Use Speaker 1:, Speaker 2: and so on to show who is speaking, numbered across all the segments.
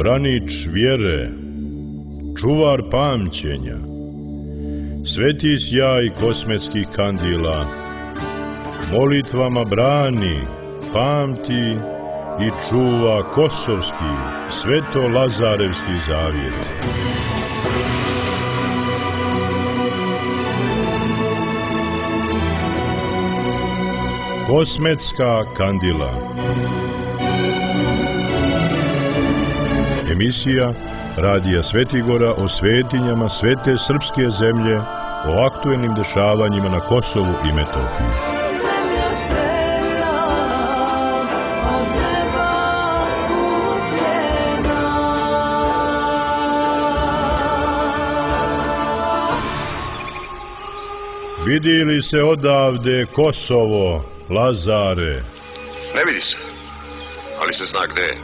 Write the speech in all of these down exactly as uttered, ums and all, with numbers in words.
Speaker 1: branič vjere, čuvar pamćenja, sveti sjaj kosmetskih kandila, molitvama brani, pamti i čuva kosovski, sveto-lazarevski zavjet. Kosmetska kandila. Emisija Radija Svetigora o svetinjama svete srpske zemlje, o aktuelnim dešavanjima na Kosovu i Metohiji. Vidi li se odavde Kosovo, Lazare?
Speaker 2: Ne vidi se, ali se zna gde je.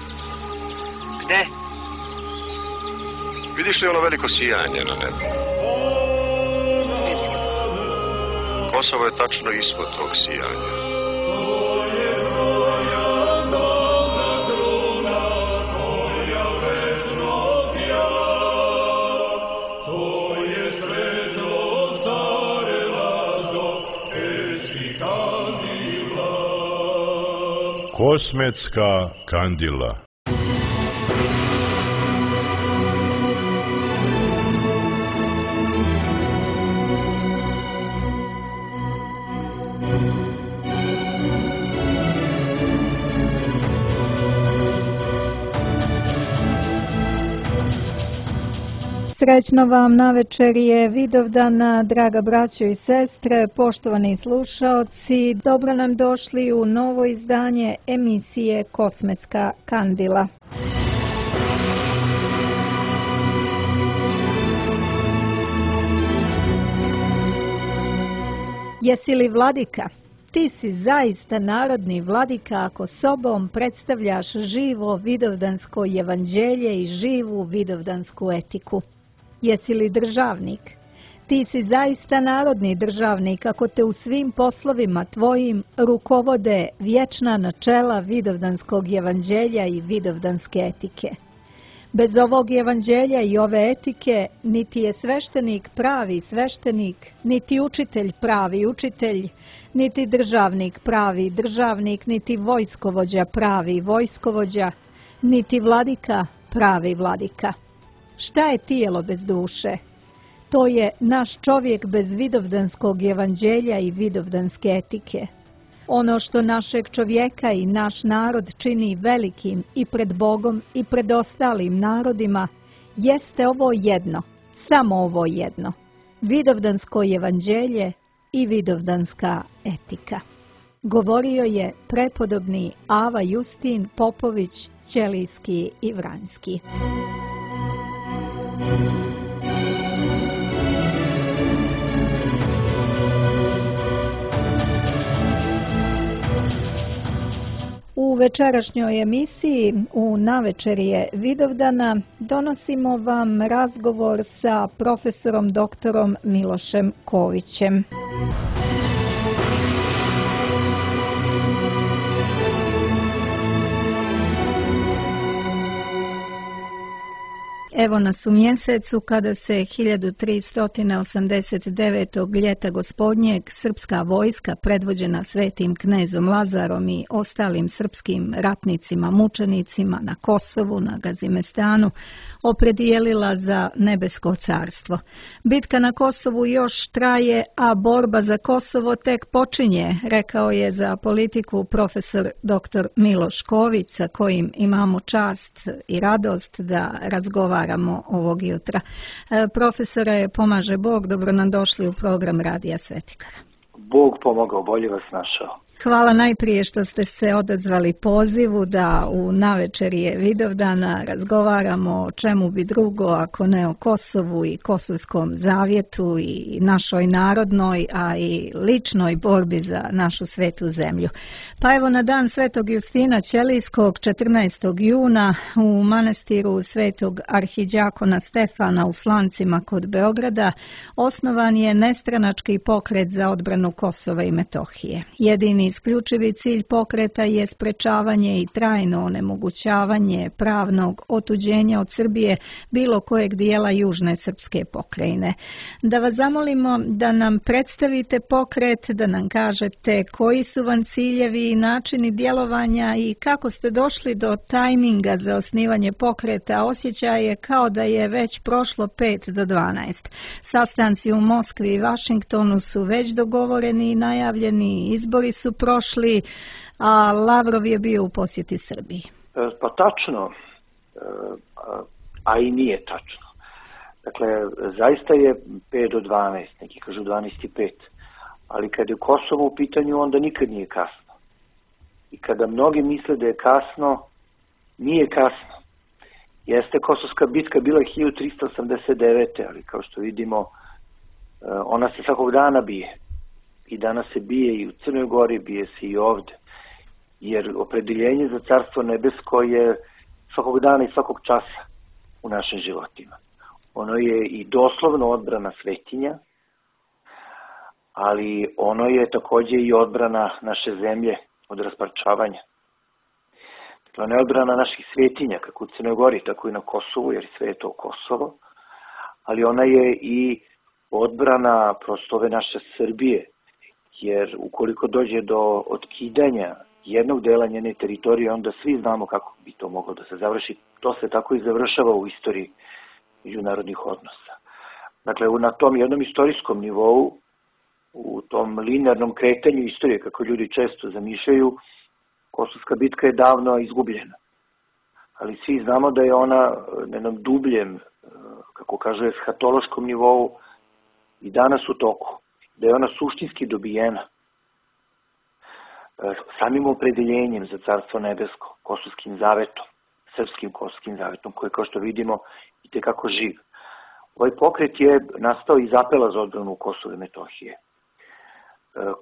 Speaker 3: Gde?
Speaker 2: Vidiš li ono veliko sijanje na nebu? Kosovo je tačno ispod tog sijanja.
Speaker 1: Kosmetska kandila.
Speaker 4: Srećno vam navečerje Vidovdana, draga braćo i sestre, poštovani slušaoci, dobro nam došli u novo izdanje emisije Kosmetska kandila. Jesi li vladika? Ti si zaista narodni vladika ako sobom predstavljaš živo vidovdansko evanđelje i živu vidovdansku etiku. Jesi li državnik? Ti si zaista narodni državnik ako te u svim poslovima tvojim rukovode vječna načela vidovdanskog evanđelja i vidovdanske etike. Bez ovog evanđelja i ove etike niti je sveštenik pravi sveštenik, niti učitelj pravi učitelj, niti državnik pravi državnik, niti vojskovođa pravi vojskovođa, niti vladika pravi vladika. Šta je tijelo bez duše? To je naš čovjek bez vidovdanskog evanđelja i vidovdanske etike. Ono što našeg čovjeka i naš narod čini velikim i pred Bogom i pred ostalim narodima, jeste ovo jedno, samo ovo jedno, vidovdansko evanđelje i vidovdanska etika. Govorio je prepodobni Ava Justin Popović, Ćelijski i Vranjski. U večerašnjoj emisiji u navečerje Vidovdana donosimo vam razgovor sa profesorom doktorom Milošem Kovićem. Evo nas u mjesecu kada se hiljadu tristo osamdeset devetog ljeta gospodnjeg srpska vojska predvođena svetim knezom Lazarom i ostalim srpskim ratnicima, mučenicima na Kosovu, na Gazimestanu, opredijelila za nebesko carstvo. Bitka na Kosovu još traje, a borba za Kosovo tek počinje, rekao je za Politiku profesor doktor Miloš Ković, sa kojim imamo čast i radost da razgovaramo ovog jutra. E, profesore, pomaže Bog, dobro nam došli u program Radija Svetigora.
Speaker 3: Bog pomogao, bolje vas našao.
Speaker 4: Hvala najprije što ste se odazvali pozivu da u navečerje Vidovdana razgovaramo o čemu bi drugo ako ne o Kosovu i Kosovskom zavjetu i našoj narodnoj, a i ličnoj borbi za našu svetu zemlju. Pa evo na dan Svetog Justina Ćelijskog četrnaestog juna u manastiru Svetog arhidjakona Stefana u Flancima kod Beograda osnovan je nestranački pokret za odbranu Kosova i Metohije. Jedini isključivi cilj pokreta je sprečavanje i trajno onemogućavanje pravnog otuđenja od Srbije bilo kojeg dijela južne srpske pokrajine. Da vas zamolimo da nam predstavite pokret, da nam kažete koji su vam ciljevi i načini djelovanja i kako ste došli do tajminga za osnivanje pokreta. Osjećaj je kao da je već prošlo pet do dvanaest. Sastanci u Moskvi i Vašingtonu su već dogovoreni i najavljeni, izbori su prošli, a Lavrov je bio u posjeti Srbiji.
Speaker 3: Pa tačno, a i nije tačno. Dakle, zaista je pet do dvanaest, neki kažu dvanaest i pet, ali kada je Kosovo u pitanju, onda nikad nije kasno. I kada mnogi misle da je kasno, nije kasno. Jeste Kosovska bitka bila hiljadu trista osamdeset devete. ali kao što vidimo, ona se svakog dana bije. I danas se bije i u Crnoj Gori, bije se i ovde. Jer opredeljenje za Carstvo nebesko je svakog dana i svakog časa u našim životima. Ono je i doslovno odbrana svetinja, ali ono je takođe i odbrana naše zemlje od rasparčavanja. Dakle, ono je odbrana naših svetinja, kako u Crnoj Gori, tako i na Kosovu, jer sve je to Kosovo, ali ona je i odbrana prosto ove naše Srbije, jer ukoliko dođe do otkidanja jednog dela njene teritorije, onda svi znamo kako bi to moglo da se završi. To se tako i završava u istoriji međunarodnih odnosa. Dakle, na tom jednom istorijskom nivou, u tom linearnom kretanju istorije, kako ljudi često zamišljaju, Kosovska bitka je davno izgubljena. Ali svi znamo da je ona na jednom dubljem, kako kaže, eshatološkom nivou i danas u toku. Da je ona suštinski dobijena samim opredeljenjem za Carstvo nebesko, Kosovskim zavetom, srpskim Kosovskim zavetom, koji, kao što vidimo, i tekako živ. Ovaj pokret je nastao iz apela za odbranu Kosova i Metohije,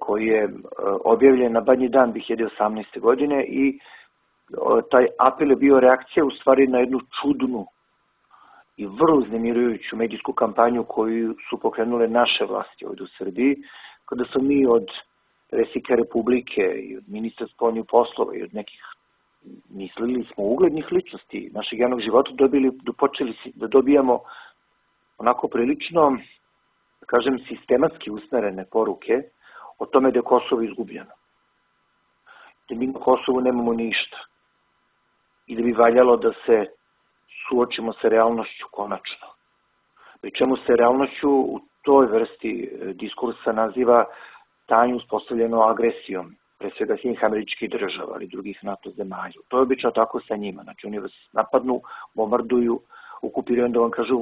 Speaker 3: koji je objavljen na Badnji dan dve hiljade osamnaeste. godine i taj apel je bio reakcija u stvari na jednu čudnu i vrlo uznemirujuću medijsku kampanju koju su pokrenule naše vlasti ovdje u Srbiji, kada smo mi od predsjednika Republike i od ministra spoljnih poslova i od nekih, mislili smo, uglednih ličnosti našeg javnog života, dobili, počeli da dobijamo onako prilično, da kažem, sistematski usmerene poruke o tome da je Kosovo izgubljeno. Da mi na Kosovu nemamo ništa. I da bi valjalo da se suočimo sa realnošću konačno. Pri čemu se realnošću u toj vrsti diskursa naziva stanje uspostavljeno agresijom, pre svega Sjedinjenih Američkih Država, ali drugih NATO zemalja. To je obično tako sa njima. Znači oni vas napadnu, bombarduju, okupiraju, onda vam kažu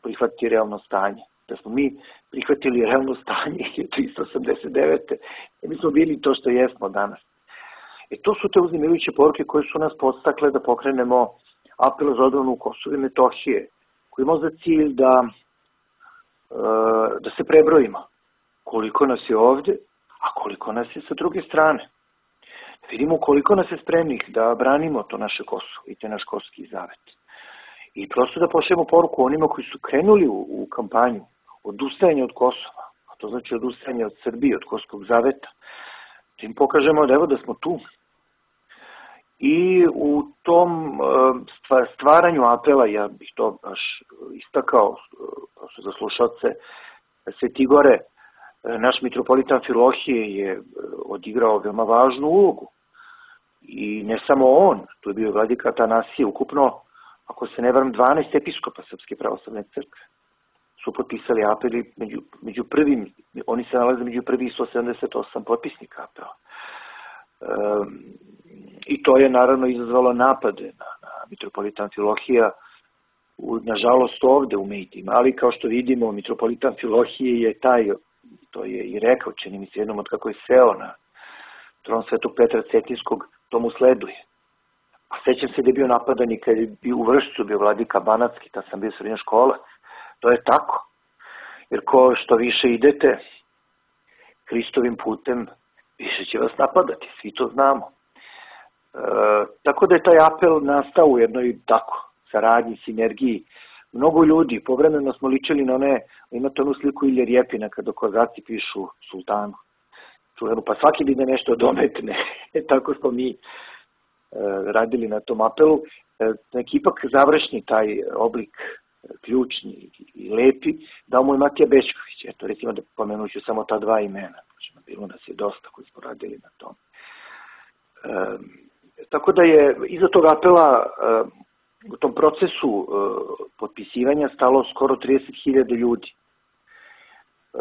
Speaker 3: prihvatiti realno stanje. Da smo mi prihvatili realno stanje hiljadu trista osamdeset devete. I mi smo bili to što jesmo danas. E to su te uznemirujuće poruke koje su nas podstakle da pokrenemo apel za odbranu Kosova i Metohije, koji ima za cilj da, da se prebrojimo koliko nas je ovde, a koliko nas je sa druge strane. Da vidimo koliko nas je spremnih da branimo to naše Kosovo i te naš Kosovski zavet. I prosto da pošaljemo poruku onima koji su krenuli u, u kampanju odustajanja od Kosova, a to znači odustajanje od Srbije, od Kosovskog zaveta, da im pokažemo da evo da smo tu. I u tom stvaranju apela, ja bih to baš istakao za slušalce Sveti Gore, naš mitropolita Amfilohije je odigrao veoma važnu ulogu. I ne samo on, tu je bio vladika Atanasije, ukupno, ako se ne varam, dvanaest episkopa Srpske pravoslavne crkve su potpisali apeli među, među prvim, oni se nalaze među prvih sto sedamdeset osam potpisnika apela. E, I to je naravno izazvalo napade na, na mitropolita Amfilohija, nažalost ovde u medijima, ali kao što vidimo, mitropolita Amfilohije je taj, to je i rekao, čini mi se jednom od kako je seo na tron Svetog Petra Cetinskog, to mu sleduje. A sećam se da je bio napadan i kad je bio u Vršcu, bio vladika Banatski, tad sam bio srednja škola. To je tako. Jer ko što više idete Hristovim putem, više će vas napadati, svi to znamo. E, tako da je taj apel nastao u jednoj tako saradnji, sinergiji. Mnogo ljudi, povremeno smo ličili na one, imate onu sliku Ilje Rjepina kada kozaci pišu sultanu. čuvenu, pa svaki bi da nešto dometne. Tako smo mi e, radili na tom apelu. E, neki ipak završni taj oblik, ključni i lepi, dao mu je Matija Bećković. Eto, recimo da pomenuću samo ta dva imena. Bilo nas je dosta koji smo radili na tom. E, tako da je iza tog apela e, u tom procesu e, potpisivanja stalo skoro trideset hiljada ljudi. E,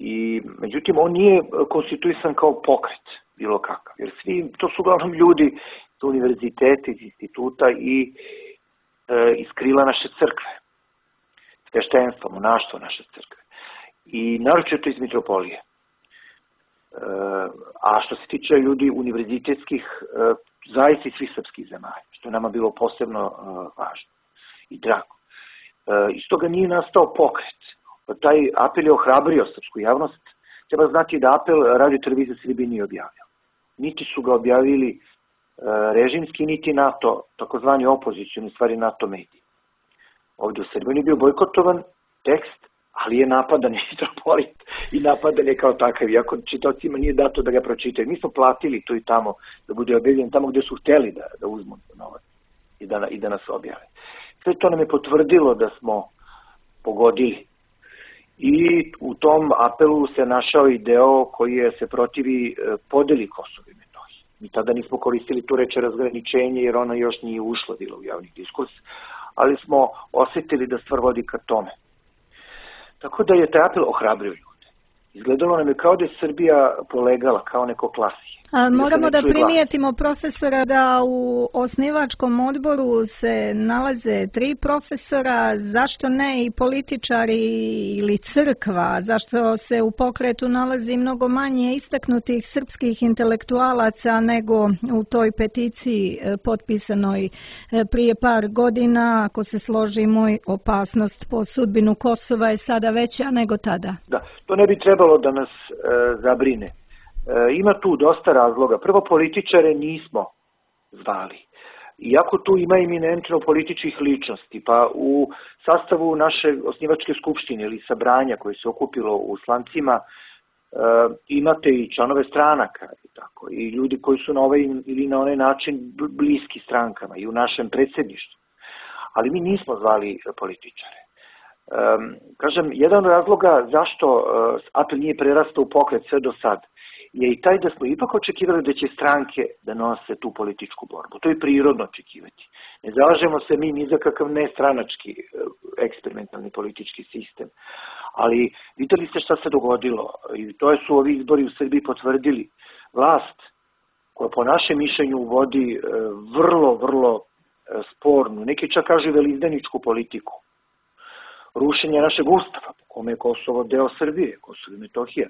Speaker 3: I, međutim, on nije konstituisan kao pokret, bilo kakav. Jer svi, to su uglavnom ljudi iz univerziteta, iz instituta i e, iz krila naše crkve. Sveštenstva, monaštva naše crkve. I naročito iz mitropolije. E, a što se tiče ljudi univerzitetskih, e, zaista iz svih srpskih zemalja, što je nama bilo posebno e, važno i drago. E, iz toga nije nastao pokret. Taj apel je ohrabrio srpsku javnost. Treba znati da apel Radio televizija Srbije nije objavio. Niti su ga objavili e, režimski, niti NATO, takozvani opozicioni, stvari NATO mediji. Ovdje u Srbiji je bio bojkotovan tekst, ali je napadan mitropolit i napadan je kao takav, iako čitocima nije dato da ga pročitaju. Mi smo platili tu i tamo da bude objavljen tamo gdje su hteli da, da uzmu novac i da, i da nas objave. Sve to nam je potvrdilo da smo pogodili. I u tom apelu se našao i deo koji je se protivi podeli Kosova i Metohije. Mi tada nismo koristili tu reč razgraničenje jer ona još nije ušla bila u javni diskurs, ali smo osjetili da stvar vodi ka tome. Tako da je taj apel ohrabrio ljude. Izgledalo nam je kao da je Srbija polegala, kao neko klasije.
Speaker 4: A moramo da primijetimo, profesora, da u osnivačkom odboru se nalaze tri profesora, zašto ne i političari ili crkva, zašto se u pokretu nalazi mnogo manje istaknutih srpskih intelektualaca nego u toj peticiji potpisanoj prije par godina, ako se složi moj, opasnost po sudbinu Kosova je sada veća nego tada.
Speaker 3: Da, to ne bi trebalo da nas e, zabrine. Ima tu dosta razloga. Prvo, političare nismo zvali. Iako tu ima eminentno političkih ličnosti, pa u sastavu naše osnivačke skupštine ili sabranja koje se okupilo u Slancima, imate i članove stranaka i tako, i ljudi koji su na ovaj ili na onaj način bliski strankama i u našem predsjedništvu. Ali mi nismo zvali političare. Kažem, jedan od razloga zašto apel nije prerastao u pokret sve do sad je i taj da smo ipak očekivali da će stranke da nose tu političku borbu. To je prirodno očekivati. Ne zalažemo se mi ni za kakav nestranački eksperimentalni politički sistem. Ali videli ste šta se dogodilo i to su ovi izbori u Srbiji potvrdili. Vlast koja po našem mišljenju vodi vrlo, vrlo spornu, neki čak kažu velizdaničku politiku. Rušenje našeg ustava, po kome je Kosovo deo Srbije, Kosovo i Metohija.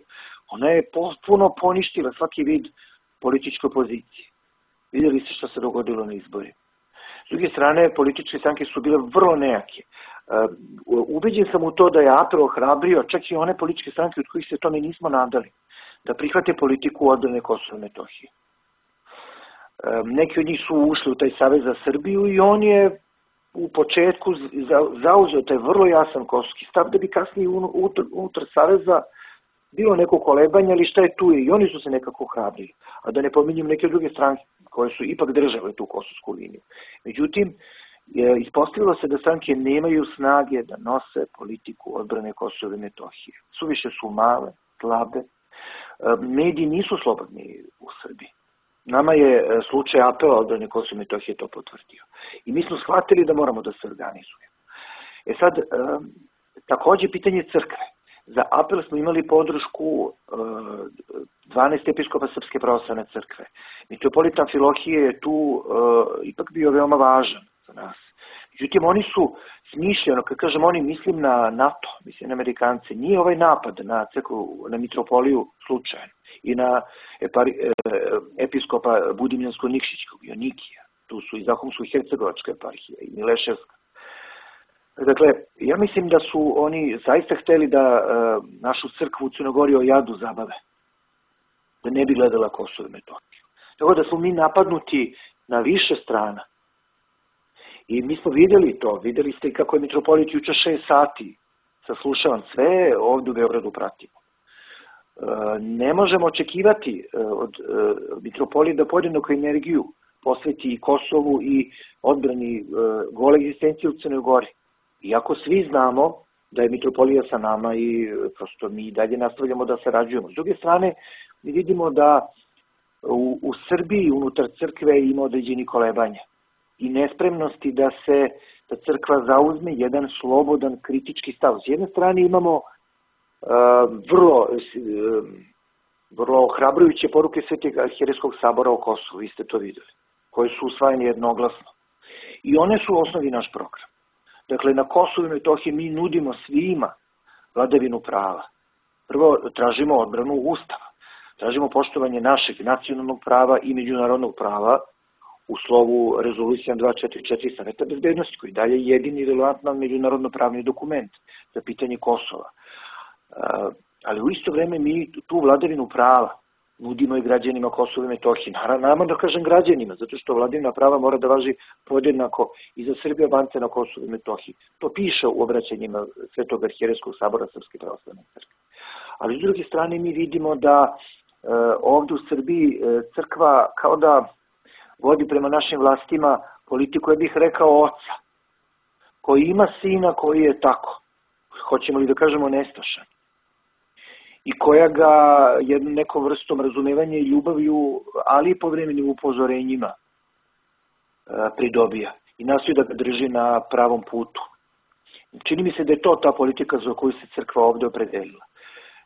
Speaker 3: Ona je potpuno poništila svaki vid političke opozicije. Vidjeli ste što se dogodilo na izbori. S druge strane, političke stranke su bile vrlo nejake. Ubeđen sam u to da je apel ohrabrio čak i one političke stranke od kojih se tome nismo nadali, da prihvate politiku odbrane Kosova i Metohije. Neki od njih su ušli u taj Savez za Srbiju i on je u početku zauzeo taj vrlo jasan kosovski stav da bi kasnije unutar Saveza bilo neko kolebanje, ali šta je tu je i oni su se nekako hrabrili. A da ne pominjem neke druge stranke koje su ipak držale tu kosovsku liniju. Međutim, ispostavilo se da stranke nemaju snage da nose politiku odbrane Kosova i Metohije. Suviše su male, slabe. Mediji nisu slobodni u Srbiji. Nama je slučaj apela odbrane Kosova i Metohije to potvrdio. I mi smo shvatili da moramo da se organizujemo. E sad, takođe pitanje crkve. Za apel smo imali podršku dvanaest episkopa Srpske pravoslavne crkve. Mitropolita Amfilohije je tu ipak bio veoma važan za nas. Međutim, oni su smišljeno, kad kažem oni, mislim na NATO, mislim na Amerikance, nije ovaj napad na crkvu, na mitropoliju slučajan i na episkopa Budimljansko-Nikšićkog i Onikija. Tu su i Zahumsko-Hercegovačka eparhija i Mileševska. Dakle, ja mislim da su oni zaista hteli da uh, našu crkvu u Crnogori o jadu zabave. Da ne bi gledala Kosovo i Metohiju. Tako da smo mi napadnuti na više strana. I mi smo vidjeli to. Vidjeli ste kako je mitropolit juče šest sati saslušavan. Sve ovdje u Beogradu pratimo. ne možemo očekivati od mitropolije da podjednaku energiju posveti i Kosovu i odbrani gole egzistencije u Crnoj Gori. Iako svi znamo da je mitropolija sa nama i prosto mi dalje nastavljamo da sarađujemo. S druge strane, mi vidimo da u, u Srbiji unutar crkve ima određeni kolebanja i nespremnosti da se da crkva zauzme jedan slobodan kritički stav. S jedne strane imamo uh, vrlo, uh, vrlo ohrabrujuće poruke Svetog arhijerejskog sabora o Kosovu, vi ste to videli, koje su usvajene jednoglasno. I one su u osnovi naš program. Dakle, na Kosovu i Metohiji mi nudimo svima vladavinu prava. Prvo, tražimo odbranu Ustava. Tražimo poštovanje našeg nacionalnog prava i međunarodnog prava u slovu rezolucija dva četiri četiri Saveta bezbednosti, koji dalje jedini relevantan međunarodno pravni dokument za pitanje Kosova. Ali u isto vreme mi tu vladavinu prava nudimo i građanima Kosova i Metohije. Naravno da kažem građanima, zato što vladavina prava mora da važi podjednako i za Srbije, Albance na Kosovu i Metohiji. To piše u obraćanjima Svetog arhijerejskog sabora Srpske pravoslavne crkve. Ali s druge strane mi vidimo da e, ovdje u Srbiji e, crkva kao da vodi prema našim vlastima politiku, ja bih rekao, oca, koji ima sina koji je tako, hoćemo li da kažemo nestašan, i koja ga jednom nekom vrstom razumevanja i ljubavlju, ali i povremenim upozorenjima pridobija i nastoji da ga drži na pravom putu. Čini mi se da je to ta politika za koju se crkva ovdje opredelila.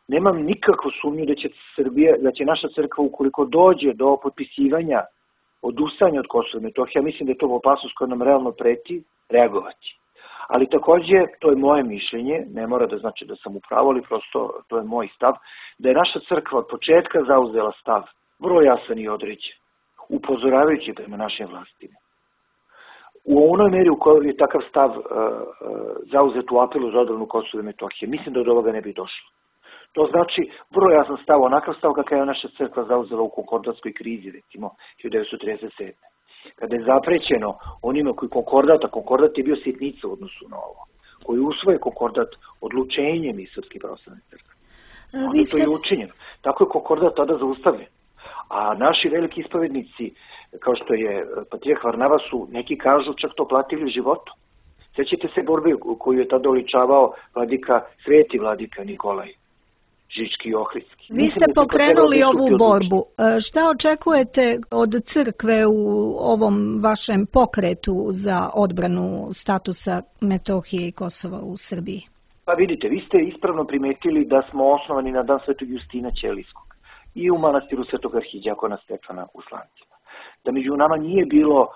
Speaker 3: Nemam nikakvu sumnju da će Srbija, da će naša crkva, ukoliko dođe do potpisivanja, odustajanja od Kosova i Metohije, ja mislim da je to opasnost koja nam realno preti, reagovati. Ali takođe, to je moje mišljenje, ne mora da znači da sam u pravu, ali prosto to je moj stav, da je naša crkva od početka zauzela stav, vrlo jasan i određen, upozoravajući prema našim vlastima. U onoj meri u kojoj je takav stav uh, uh, zauzet u apelu za odbranu Kosova i Metohije, mislim da od ovoga ne bi došlo. To znači vrlo jasan stav, onakav stav kakav je naša crkva zauzela u konkordatskoj krizi, recimo, hiljadu devetsto trideset sedme. Kada je zaprećeno onima koji konkordat, a konkordat je bio sitnica u odnosu na ovo, koji usvoje konkordat odlučenjem iz Srpske pravoslavne crkve. Onda to je učinjeno. Tako je konkordat tada zaustavljen. A naši veliki ispovednici, kao što je patrijarh Varnava, su, neki kažu, čak to platili životom. Sećate se borbe koju je tada oličavao vladika, sveti vladika Nikolaj Žički i Ohridski.
Speaker 4: Vi ste pokrenuli ovu borbu. Šta očekujete od crkve u ovom vašem pokretu za odbranu statusa Metohije i Kosova u Srbiji?
Speaker 3: Pa vidite, vi ste ispravno primetili da smo osnovani na dan Svetog Justina Ćelijskog i u manastiru Svetog arhidijakona Stefana u Slancima. Da među nama nije bilo,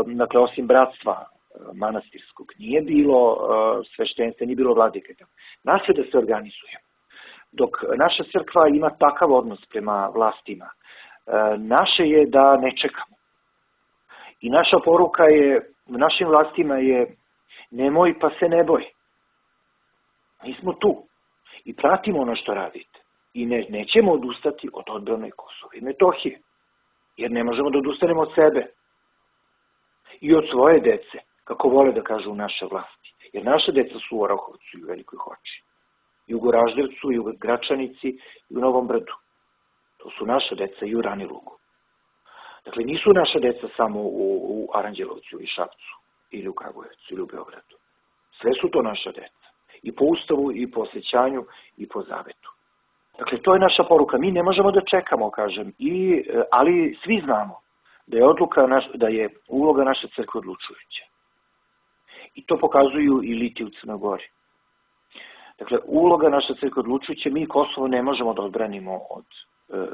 Speaker 3: dakle, osim bratstva manastirskog, nije bilo sveštenstva, nije bilo vladike. Nas je da se organizujemo. Dok naša crkva ima takav odnos prema vlastima, naše je da ne čekamo. I naša poruka je, našim vlastima je, nemoj pa se ne boj. Mi smo tu i pratimo ono što radite. I ne, nećemo odustati od odbrane Kosova i Metohije, jer ne možemo da odustanemo od sebe i od svoje dece, kako vole da kažu naše vlasti. Jer naše deca su u Orahovcu i u Velikoj Hoči, i u Goraždevcu, i u Gračanici, i u Novom Brdu. To su naša deca i u Ranilugu. Dakle, nisu naša deca samo u, u Aranđelovcu ili Šapcu, ili u Kragujevcu, ili u Beogradu. Sve su to naša deca. I po ustavu, i po osjećanju, i po zavetu. Dakle, to je naša poruka. Mi ne možemo da čekamo, kažem, i, ali svi znamo da je odluka, naš, da je uloga naše crkve odlučujuća. I to pokazuju i liti u Crnoj Gori. Dakle, uloga naše crkve odlučujuća, mi Kosovo ne možemo da odbranimo od,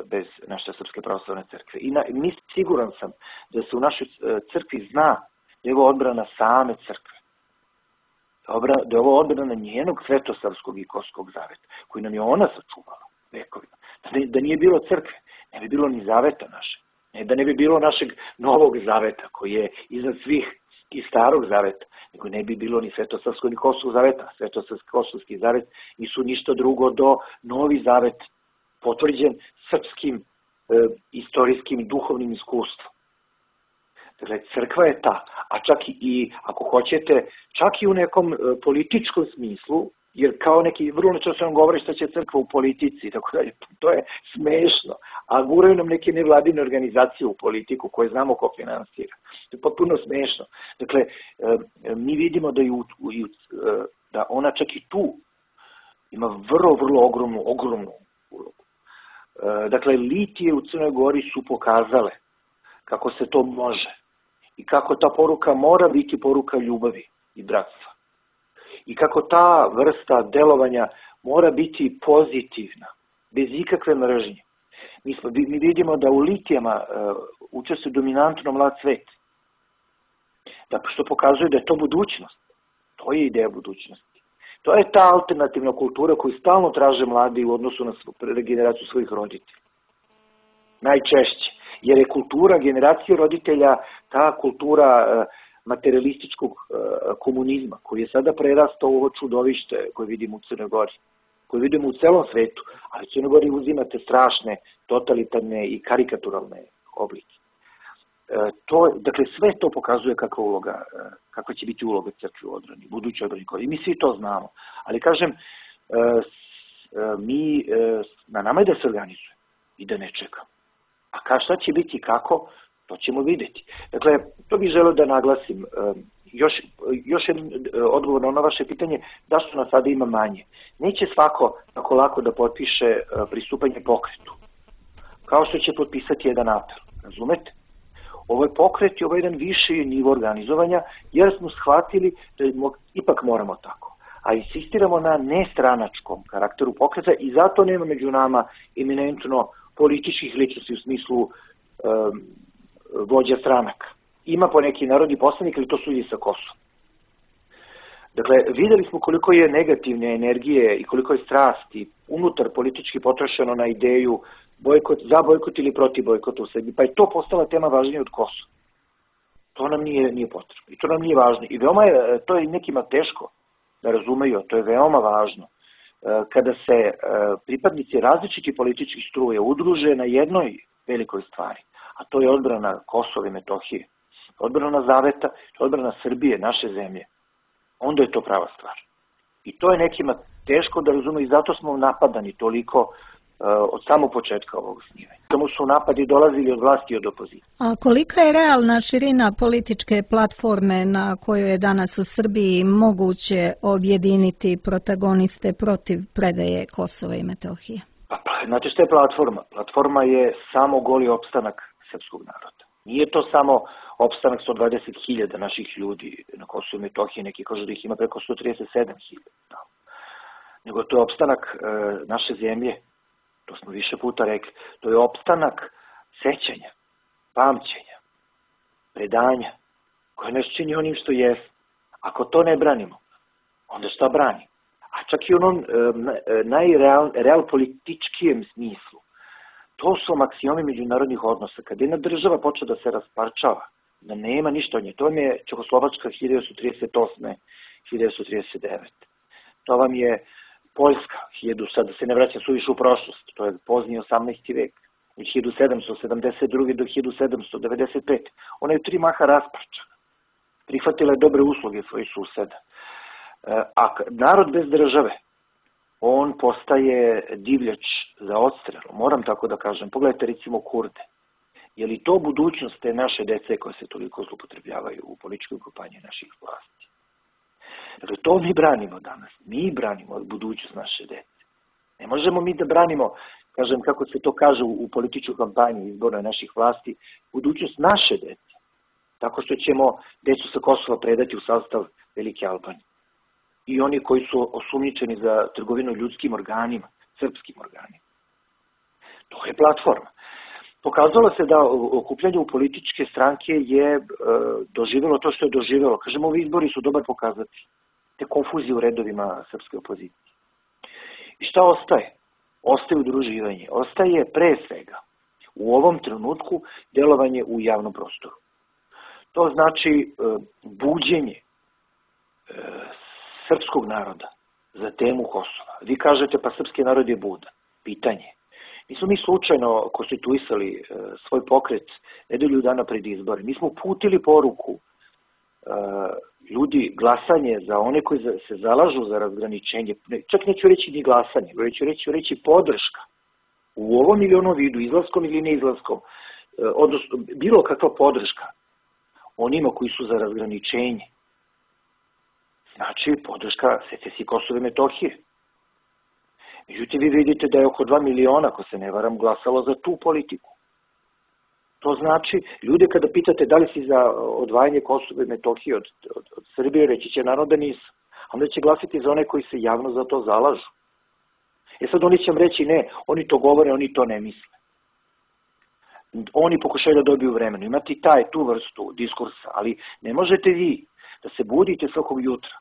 Speaker 3: bez naše Srpske pravoslavne crkve. I na, mi siguran sam da se u našoj crkvi zna da je ovo odbrana same crkve. Da je ovo odbrana njenog svetosavskog i kosovskog zaveta, koji nam je ona sačuvala vekovima. Da, ne, da nije bilo crkve, ne bi bilo ni zaveta naše. Ne, da ne bi bilo našeg novog zaveta, koji je iznad svih i starog zaveta, nego ne bi bilo ni svetosavskog ni kosovskog zaveta. Svetosavski kosovski zavet nisu ništa drugo do novi zavet, potvrđen srpskim e, istorijskim i duhovnim iskustvom. Dakle, crkva je ta, a čak i, ako hoćete, čak i u nekom e, političkom smislu, jer kao neki vrlo često nam govori šta će crkva u politici i tako dalje. To je smešno. A guraju nam neke nevladine organizacije u politiku koje znamo ko finansira. To je potpuno smešno. Dakle, mi vidimo da, ju, da ona čak i tu ima vrlo, vrlo ogromnu, ogromnu ulogu. Dakle, litije u Crnoj Gori su pokazale kako se to može i kako ta poruka mora biti poruka ljubavi i bratstva. I kako ta vrsta delovanja mora biti pozitivna, bez ikakve mržnje. Mi, smo, mi vidimo da u litijama uh, učestvuje dominantno mlad svet. Dakle, što pokazuje da je to budućnost. To je ideja budućnosti. To je ta alternativna kultura koju stalno traže mladi u odnosu na regeneraciju svojih roditelja. Najčešće. Jer je kultura generacije roditelja ta kultura uh, materialističkog uh, komunizma, koji je sada prerastao u ovo čudovište koje vidimo u Crnoj Gori, koje vidimo u celom svetu, ali u Crnoj Gori uzimate strašne, totalitarne i karikaturalne oblike. Uh, to, dakle, sve to pokazuje kakva, uloga, uh, kakva će biti uloga crkve u odbrani, buduće odbrani. I mi svi to znamo. Ali kažem, uh, uh, mi, uh, na nama je da se organizuje i da ne čekamo. A ka, šta će biti i kako, to ćemo vidjeti. Dakle, to bih želeo da naglasim. Još, još jedan odgovor na ono vaše pitanje, da što nas sada ima manje. Neće svako tako lako da potpiše pristupanje pokretu, kao što će potpisati jedan apel. Razumete? Ovo je pokret i ovo je jedan viši nivo organizovanja, jer smo shvatili da ipak moramo tako. A insistiramo na nestranačkom karakteru pokreta i zato nema među nama eminentno političkih ličnosti u smislu um, vođa stranaka. Ima po neki narodni poslanik, ali to su ljudi sa Kosova. Dakle, videli smo koliko je negativne energije i koliko je strasti unutar politički potrošeno na ideju bojkot, za bojkot ili protiv bojkota u Srbiji. Pa je to postala tema važnija od Kosova. To nam nije, nije potrebno. I to nam nije važno. I veoma je, to je nekima teško da razumeju, to je veoma važno. Kada se pripadnici različitih političkih struje udruže na jednoj velikoj stvari, a to je odbrana Kosova i Metohije, odbrana Zaveta, odbrana Srbije, naše zemlje, onda je to prava stvar. I to je nekima teško da razume i zato smo napadani toliko uh, od samog početka ovog snimanja. Samo su napadi dolazili od vlasti i od opozicije.
Speaker 4: A kolika je realna širina političke platforme na kojoj je danas u Srbiji moguće objediniti protagoniste protiv predaje Kosova i Metohije?
Speaker 3: Pa, znate što je platforma? Platforma je samo goli opstanak srpskog naroda. Nije to samo opstanak sto dvadeset hiljada naših ljudi na Kosovu i Metohiji, neki kažu da ih ima preko sto trideset sedam hiljada. Nego to je opstanak e, naše zemlje, to smo više puta rekli, to je opstanak sećanja, pamćenja, predanja, koje nas čini onim što je. Ako to ne branimo, onda šta brani? A čak i u onom e, najrealpolitičkijem smislu, to su maksiomi međunarodnih odnosa. Kad jedna država počne da se rasparčava, da nema ništa od nje, to vam je Čehoslovačka hiljadu devetsto trideset osme hiljadu devetsto trideset devete To vam je Poljska, hiljadu, sad da se ne vraća suviše u prošlost, to je pozni osamnaesti vek, od hiljadu sedamsto sedamdeset druge do hiljadu sedamsto devedeset pete Ona je u tri maha rasparčana. Prihvatila je dobre usluge svojih suseda. A narod bez države, on postaje divljač za odstrel, moram tako da kažem. Pogledajte recimo Kurde. Je li to budućnost te naše dece koje se toliko zloupotrebljavaju u političkoj kampanji naših vlasti? Dakle, to mi branimo danas. Mi branimo budućnost naše dece. Ne možemo mi da branimo, kažem, kako se to kaže u političkoj kampanji izbornoj naših vlasti, budućnost naše dece. Tako što ćemo decu sa Kosova predati u sastav Velike Albanije. I oni koji su osumnjičeni za trgovinu ljudskim organima, srpskim organima. To je platforma. Pokazalo se da okupljanje u političke stranke je e, doživjelo to što je doživjelo. Kažemo, ovi izbori su dobar pokazatelj te konfuzije u redovima srpske opozicije. I šta ostaje? Ostaje udruživanje. Ostaje pre svega u ovom trenutku delovanje u javnom prostoru. To znači e, buđenje e, srpskog naroda za temu Kosova. Vi kažete, pa srpski narod je budan. Pitanje. Nismo mi slučajno konstituisali e, svoj pokret nedelju dana pred izbore. Mi smo uputili poruku e, ljudi, glasanje za one koji se zalažu za razgraničenje, čak neću reći ni glasanje, već ću reći, reći podrška u ovom ili onom vidu, izlaskom ili neizlaskom, odnosno bilo kakva podrška onima koji su za razgraničenje, znači podrška secesiji Kosova i Metohije. Međutim, vi vidite da je oko dva miliona, ako se ne varam, glasalo za tu politiku. To znači, ljude kada pitate da li si za odvajanje Kosova i Metohije od, od, od Srbije, reći će naravno da nisu. Onda će glasiti za one koji se javno za to zalažu. E sad oni će vam reći ne, oni to govore, oni to ne misle. Oni pokušaju da dobiju vremenu. Imati taj, tu vrstu diskursa, ali ne možete vi da se budite svakog jutra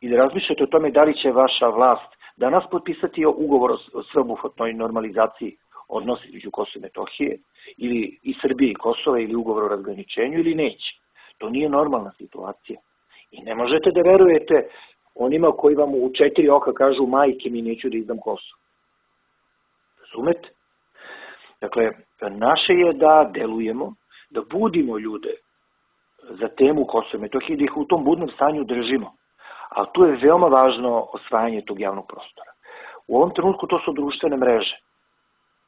Speaker 3: i da razmišljate o tome da li će vaša vlast danas potpisati ugovor o sveobuhvatnoj normalizaciji odnosi između Kosova i Metohije ili i Srbije i Kosova ili ugovor o razgraničenju ili neće. To nije normalna situacija. I ne možete da verujete onima koji vam u četiri oka kažu majke mi neću da izdam Kosovo. Razumete? Dakle, naše je da delujemo, da budimo ljude za temu Kosova i Metohije, da ih u tom budnom stanju držimo. A tu je veoma važno osvajanje tog javnog prostora. U ovom trenutku to su društvene mreže.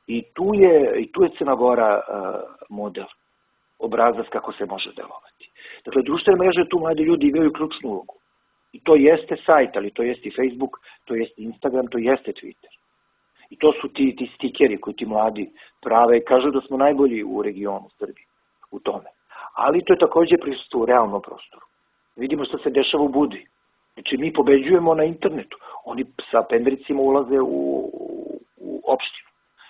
Speaker 3: I tu je, i tu je Crna Gora uh, model, obrazac kako se može delovati. Dakle, društvene mreže tu mladi ljudi imaju ključnu ulogu. I to jeste sajt, ali to jeste i Facebook, to jeste Instagram, to jeste Twitter. I to su ti, ti stikeri koji ti mladi prave i kažu da smo najbolji u regionu Srbiji u tome. Ali to je takođe prisustvo u realnom prostoru. Vidimo što se dešava u Budi. Znači, mi pobeđujemo na internetu. Oni sa pendricima ulaze u, u, u opštinu.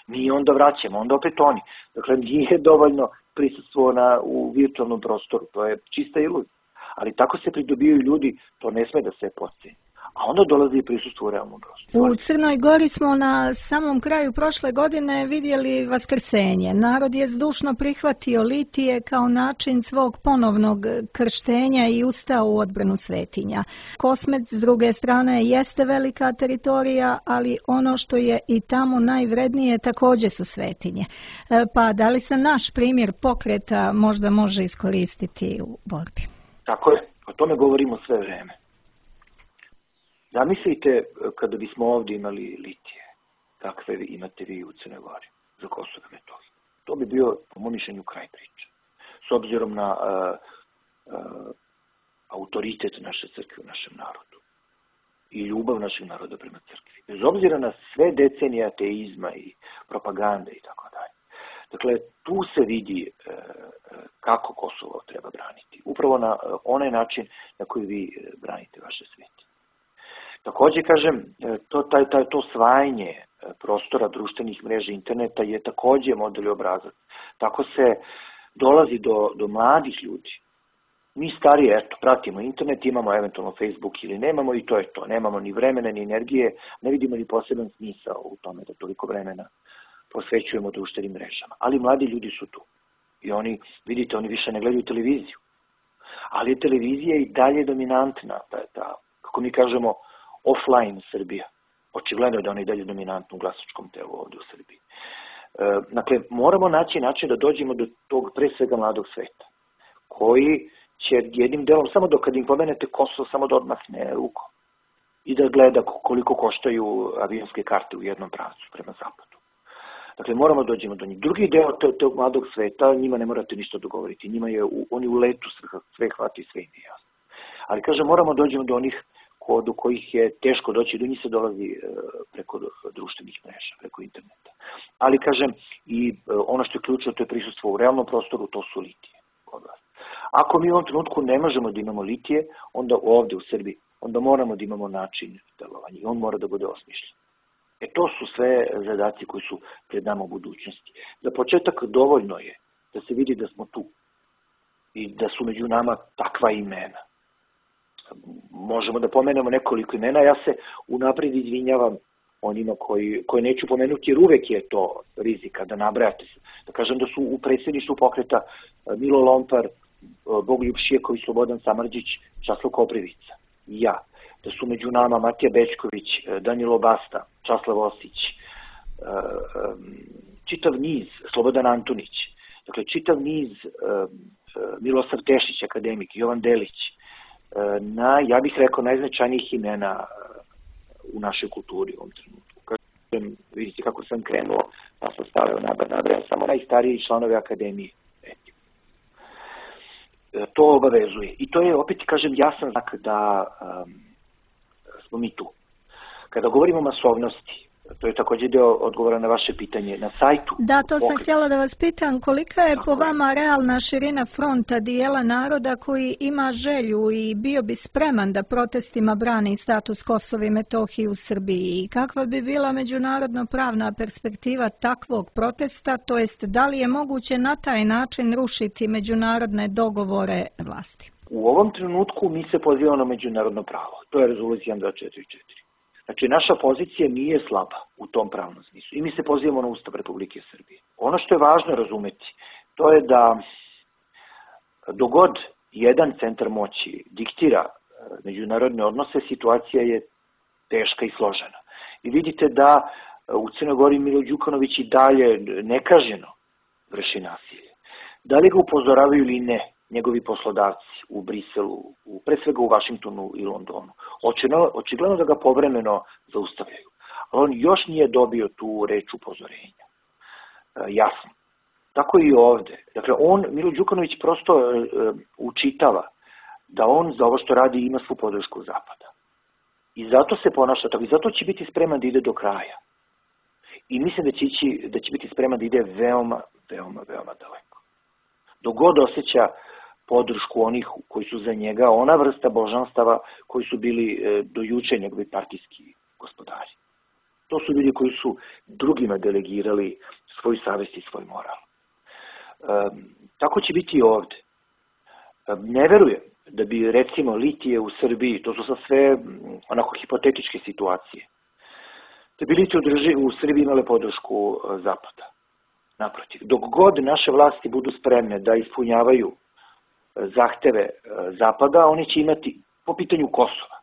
Speaker 3: Mi onda vraćamo, onda opet oni. Dakle, nije dovoljno prisustvo na, u virtualnom prostoru. To je čista iluzija. Ali tako se pridobijaju ljudi, to ne sme da se podceni. A onda dolazi i prisustvo u realnom prostoru.
Speaker 4: U Crnoj Gori smo na samom kraju prošle godine vidjeli vaskrsenje. Narod je zdušno prihvatio litije kao način svog ponovnog krštenja i ustao u odbranu svetinja. Kosmec, s druge strane, jeste velika teritorija, ali ono što je i tamo najvrednije također su svetinje. Pa da li se naš primjer pokreta možda može iskoristiti u borbi?
Speaker 3: Tako je, o tome govorimo sve vreme. Zamislite kada bismo ovdje imali litije, kakve vi imate vi u Crnoj Gori za Kosovo i Metohiju. To bi bio, po mom mišljenju, kraj priče. S obzirom na uh, uh, autoritet naše crkve u našem narodu i ljubav našeg naroda prema crkvi. Bez obzira na sve decenije ateizma i propagande i tako dalje. Dakle, tu se vidi uh, kako Kosovo treba braniti. Upravo na uh, onaj način na koji vi uh, branite vaše sveti. Također, kažem, to, taj, taj, to svajanje prostora društvenih mreža interneta je također model i obrazac. Tako se dolazi do, do mladih ljudi. Mi stariji, eto, pratimo internet, imamo eventualno Facebook ili nemamo i to je to. Nemamo ni vremena, ni energije, ne vidimo ni poseban smisao u tome da toliko vremena posvećujemo društvenim mrežama. Ali mladi ljudi su tu. I oni, vidite, oni više ne gledaju televiziju. Ali televizija je i dalje dominantna, da je ta, kako mi kažemo, offline Srbija. Očigledno je da ona i dalje dominantna u glasačkom telu ovdje u Srbiji. E, dakle, moramo naći način da dođemo do tog pre svega mladog sveta, koji će jednim delom, samo dok kad im pomenete Kosovo, samo da odmahne rukom i da gleda koliko koštaju avionske karte u jednom pravcu prema zapadu. Dakle, moramo dođemo do njih. Drugi deo tog mladog sveta, njima ne morate ništa dogovoriti. Njima je, u, oni u letu sve, sve hvati, sve im je jasno. Ali, kažem, moramo dođemo do onih do kojih je teško doći, do njih se dolazi preko društvenih mreža, preko interneta. Ali, kažem, i ono što je ključno, to je prisustvo u realnom prostoru, to su litije kod vas. Ako mi u ovom trenutku ne možemo da imamo litije, onda ovdje u Srbiji, onda moramo da imamo način delovanja i on mora da bude osmišljen. E to su sve zadaci koji su pred nama u budućnosti. Za početak dovoljno je da se vidi da smo tu i da su među nama takva imena. Možemo da pomenemo nekoliko imena, ja se unaprijed izvinjavam onima koji, koje neću pomenuti, jer uvek je to rizika da nabrajate se. Da kažem da su u predsjedništvu pokreta Milo Lompar, Bogoljub Šijeković, Slobodan Samardžić, Časlav Koprivica i ja. Da su među nama Matija Bečković, Danilo Basta, Časlav Osić, čitav niz, Slobodan Antunić, dakle čitav niz, Milosav Tešić, akademik, Jovan Delić, na, ja bih rekao, najznačajnijih imena u našoj kulturi u ovom trenutku. Kažem, vidite kako sam krenuo, pa sam stavio nabrajam samo najstariji članovi Akademije. To obavezuje. I to je, opet kažem, jasan znak da um, smo mi tu. Kada govorimo o masovnosti, to je također deo odgovora na vaše pitanje, na sajtu.
Speaker 4: Da, to sam
Speaker 3: pokret...
Speaker 4: htjela da vas pitam, kolika je po vama realna širina fronta dijela naroda koji ima želju i bio bi spreman da protestima brani status Kosova i Metohije u Srbiji i kakva bi bila međunarodno pravna perspektiva takvog protesta, to jest da li je moguće na taj način rušiti međunarodne dogovore vlasti?
Speaker 3: U ovom trenutku mi se pozivamo na međunarodno pravo, to je rezolucija dva četiri četiri. Znači, naša pozicija nije slaba u tom pravnom smislu i mi se pozivamo na Ustav Republike Srbije. Ono što je važno razumeti, to je da dogod jedan centar moći diktira međunarodne odnose, situacija je teška i složena. I vidite da u Crnoj Gori Milo Đukanović i dalje nekažnjeno vrši nasilje. Da li ga upozoravaju ili ne njegovi poslodavci u Briselu, u, pre svega u Vašingtonu i Londonu. Očigledno, očigledno da ga povremeno zaustavljaju. Ali on još nije dobio tu reč upozorenja. E, jasno. Tako i ovde. Dakle, on, Milo Đukanović, prosto e, učitava da on za ovo što radi ima svu podršku Zapada. I zato se ponaša tako. I zato će biti spreman da ide do kraja. I mislim da će, ići, da će biti spreman da ide veoma, veoma, veoma daleko. Dok god osjeća podršku onih koji su za njega, ona vrsta božanstava koji su bili e, do juče njegovi partijski gospodari. To su ljudi koji su drugima delegirali svoju savest i svoj moral. E, tako će biti i ovde. E, ne verujem da bi, recimo, litije u Srbiji, to su sa sve onako hipotetičke situacije, da bi litije u Srbiji imale podršku e, Zapada. Naprotiv, dok god naše vlasti budu spremne da ispunjavaju zahteve Zapada, oni će imati, po pitanju Kosova,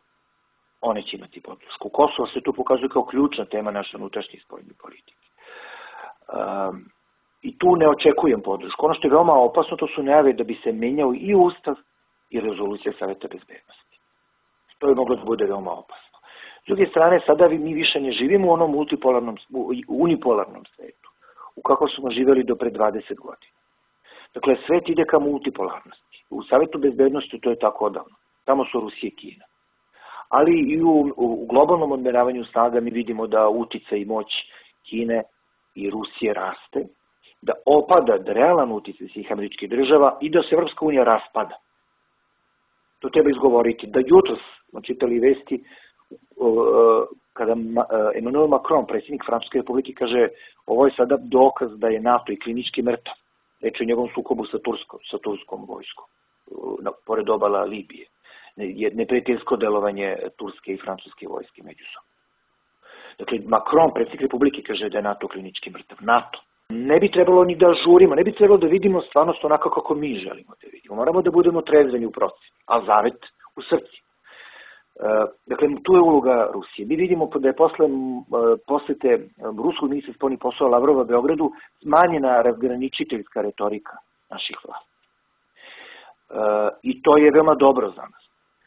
Speaker 3: oni će imati podršku. Kosovo se tu pokazuje kao ključna tema naše unutrašnje spoljne politike. Um, I tu ne očekujem podršku. Ono što je veoma opasno, to su najave da bi se menjao i Ustav i rezolucija Saveta bezbednosti. To je moglo da bude veoma opasno. S druge strane, sada mi više ne živimo u onom multipolarnom, unipolarnom svetu, u kako smo živjeli do pre dvadeset godina. Dakle, svet ide ka multipolarnosti. U Savetu bezbednosti to je tako odavno. Tamo su Rusija i Kina. Ali i u, u globalnom odmeravanju snaga mi vidimo da uticaj i moć Kine i Rusije raste, da opada da realan uticaj svih američkih država i da se Evropska unija raspada. To treba izgovoriti. Da jutros smo čitali vesti kada Emmanuel Macron, predsjednik Francuske republike, kaže ovo je sada dokaz da je NATO i klinički mrtav. Reč o njegovom sukobu sa turskom, sa turskom vojskom, na, pored obala Libije. Ne, neprijateljsko delovanje turske i francuske vojske međusobno. Dakle, Macron, predsjednik republike, kaže da je NATO klinički mrtav. NATO. Ne bi trebalo ni da žurimo, ne bi trebalo da vidimo stvarnost onako kako mi želimo da vidimo. Moramo da budemo trezveni u procenu, a zavet u srci. E, dakle, tu je uloga Rusije. Mi vidimo da je posle posete ruskog ministra spoljnih poslova Lavrova Beogradu smanjena razgraničiteljska retorika naših vlasti. E, I to je veoma dobro za nas.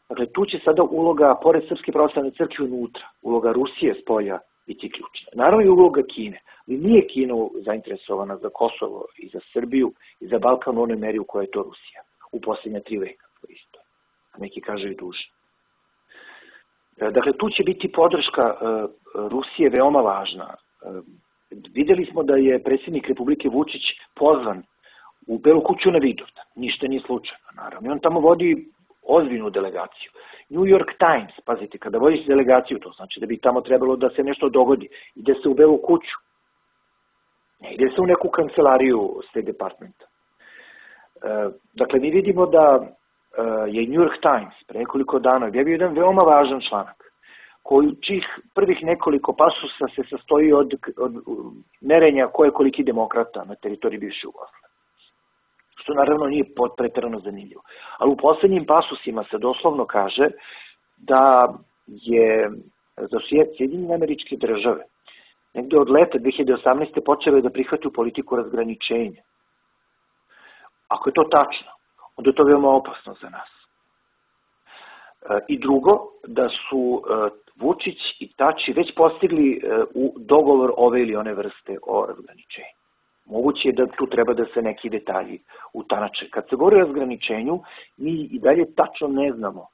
Speaker 3: Dakle, tu će sada uloga, pored Srpske pravoslavne crkve unutra, uloga Rusije s polja biti ključna. Naravno i uloga Kine. Ali nije Kina zainteresovana za Kosovo i za Srbiju i za Balkan u onoj meri u kojoj je to Rusija. U posljednja tri veka. Isto. A neki kažu i duže. Dakle, tu će biti podrška Rusije veoma važna. Videli smo da je predsjednik Republike Vučić pozvan u Belu kuću na Vidovdan. Ništa nije slučajno, naravno. I on tamo vodi ozbiljnu delegaciju. New York Times, pazite, kada vodiš delegaciju, to znači da bi tamo trebalo da se nešto dogodi. Ide se u Belu kuću. Ne ide se u neku kancelariju State Departmenta. Dakle, mi vidimo da je New York Times pre nekoliko dana objavio jedan veoma važan članak, koji čih prvih nekoliko pasusa se sastoji od, od merenja ko je koliki demokrata na teritoriji bivše Jugoslavije. Što naravno nije pretjerano zanimljivo. Ali u poslednjim pasusima se doslovno kaže da je za Sjedinjene Američke Države negde od leta dve hiljade osamnaeste. počele da prihvataju politiku razgraničenja. Ako je to tačno, onda je to veoma opasno za nas. I drugo, da su Vučić i Tači već postigli u dogovor ove ili one vrste o razgraničenju. Moguće je da tu treba da se neki detalji utanače. Kad se govori o razgraničenju, mi i dalje tačno ne znamo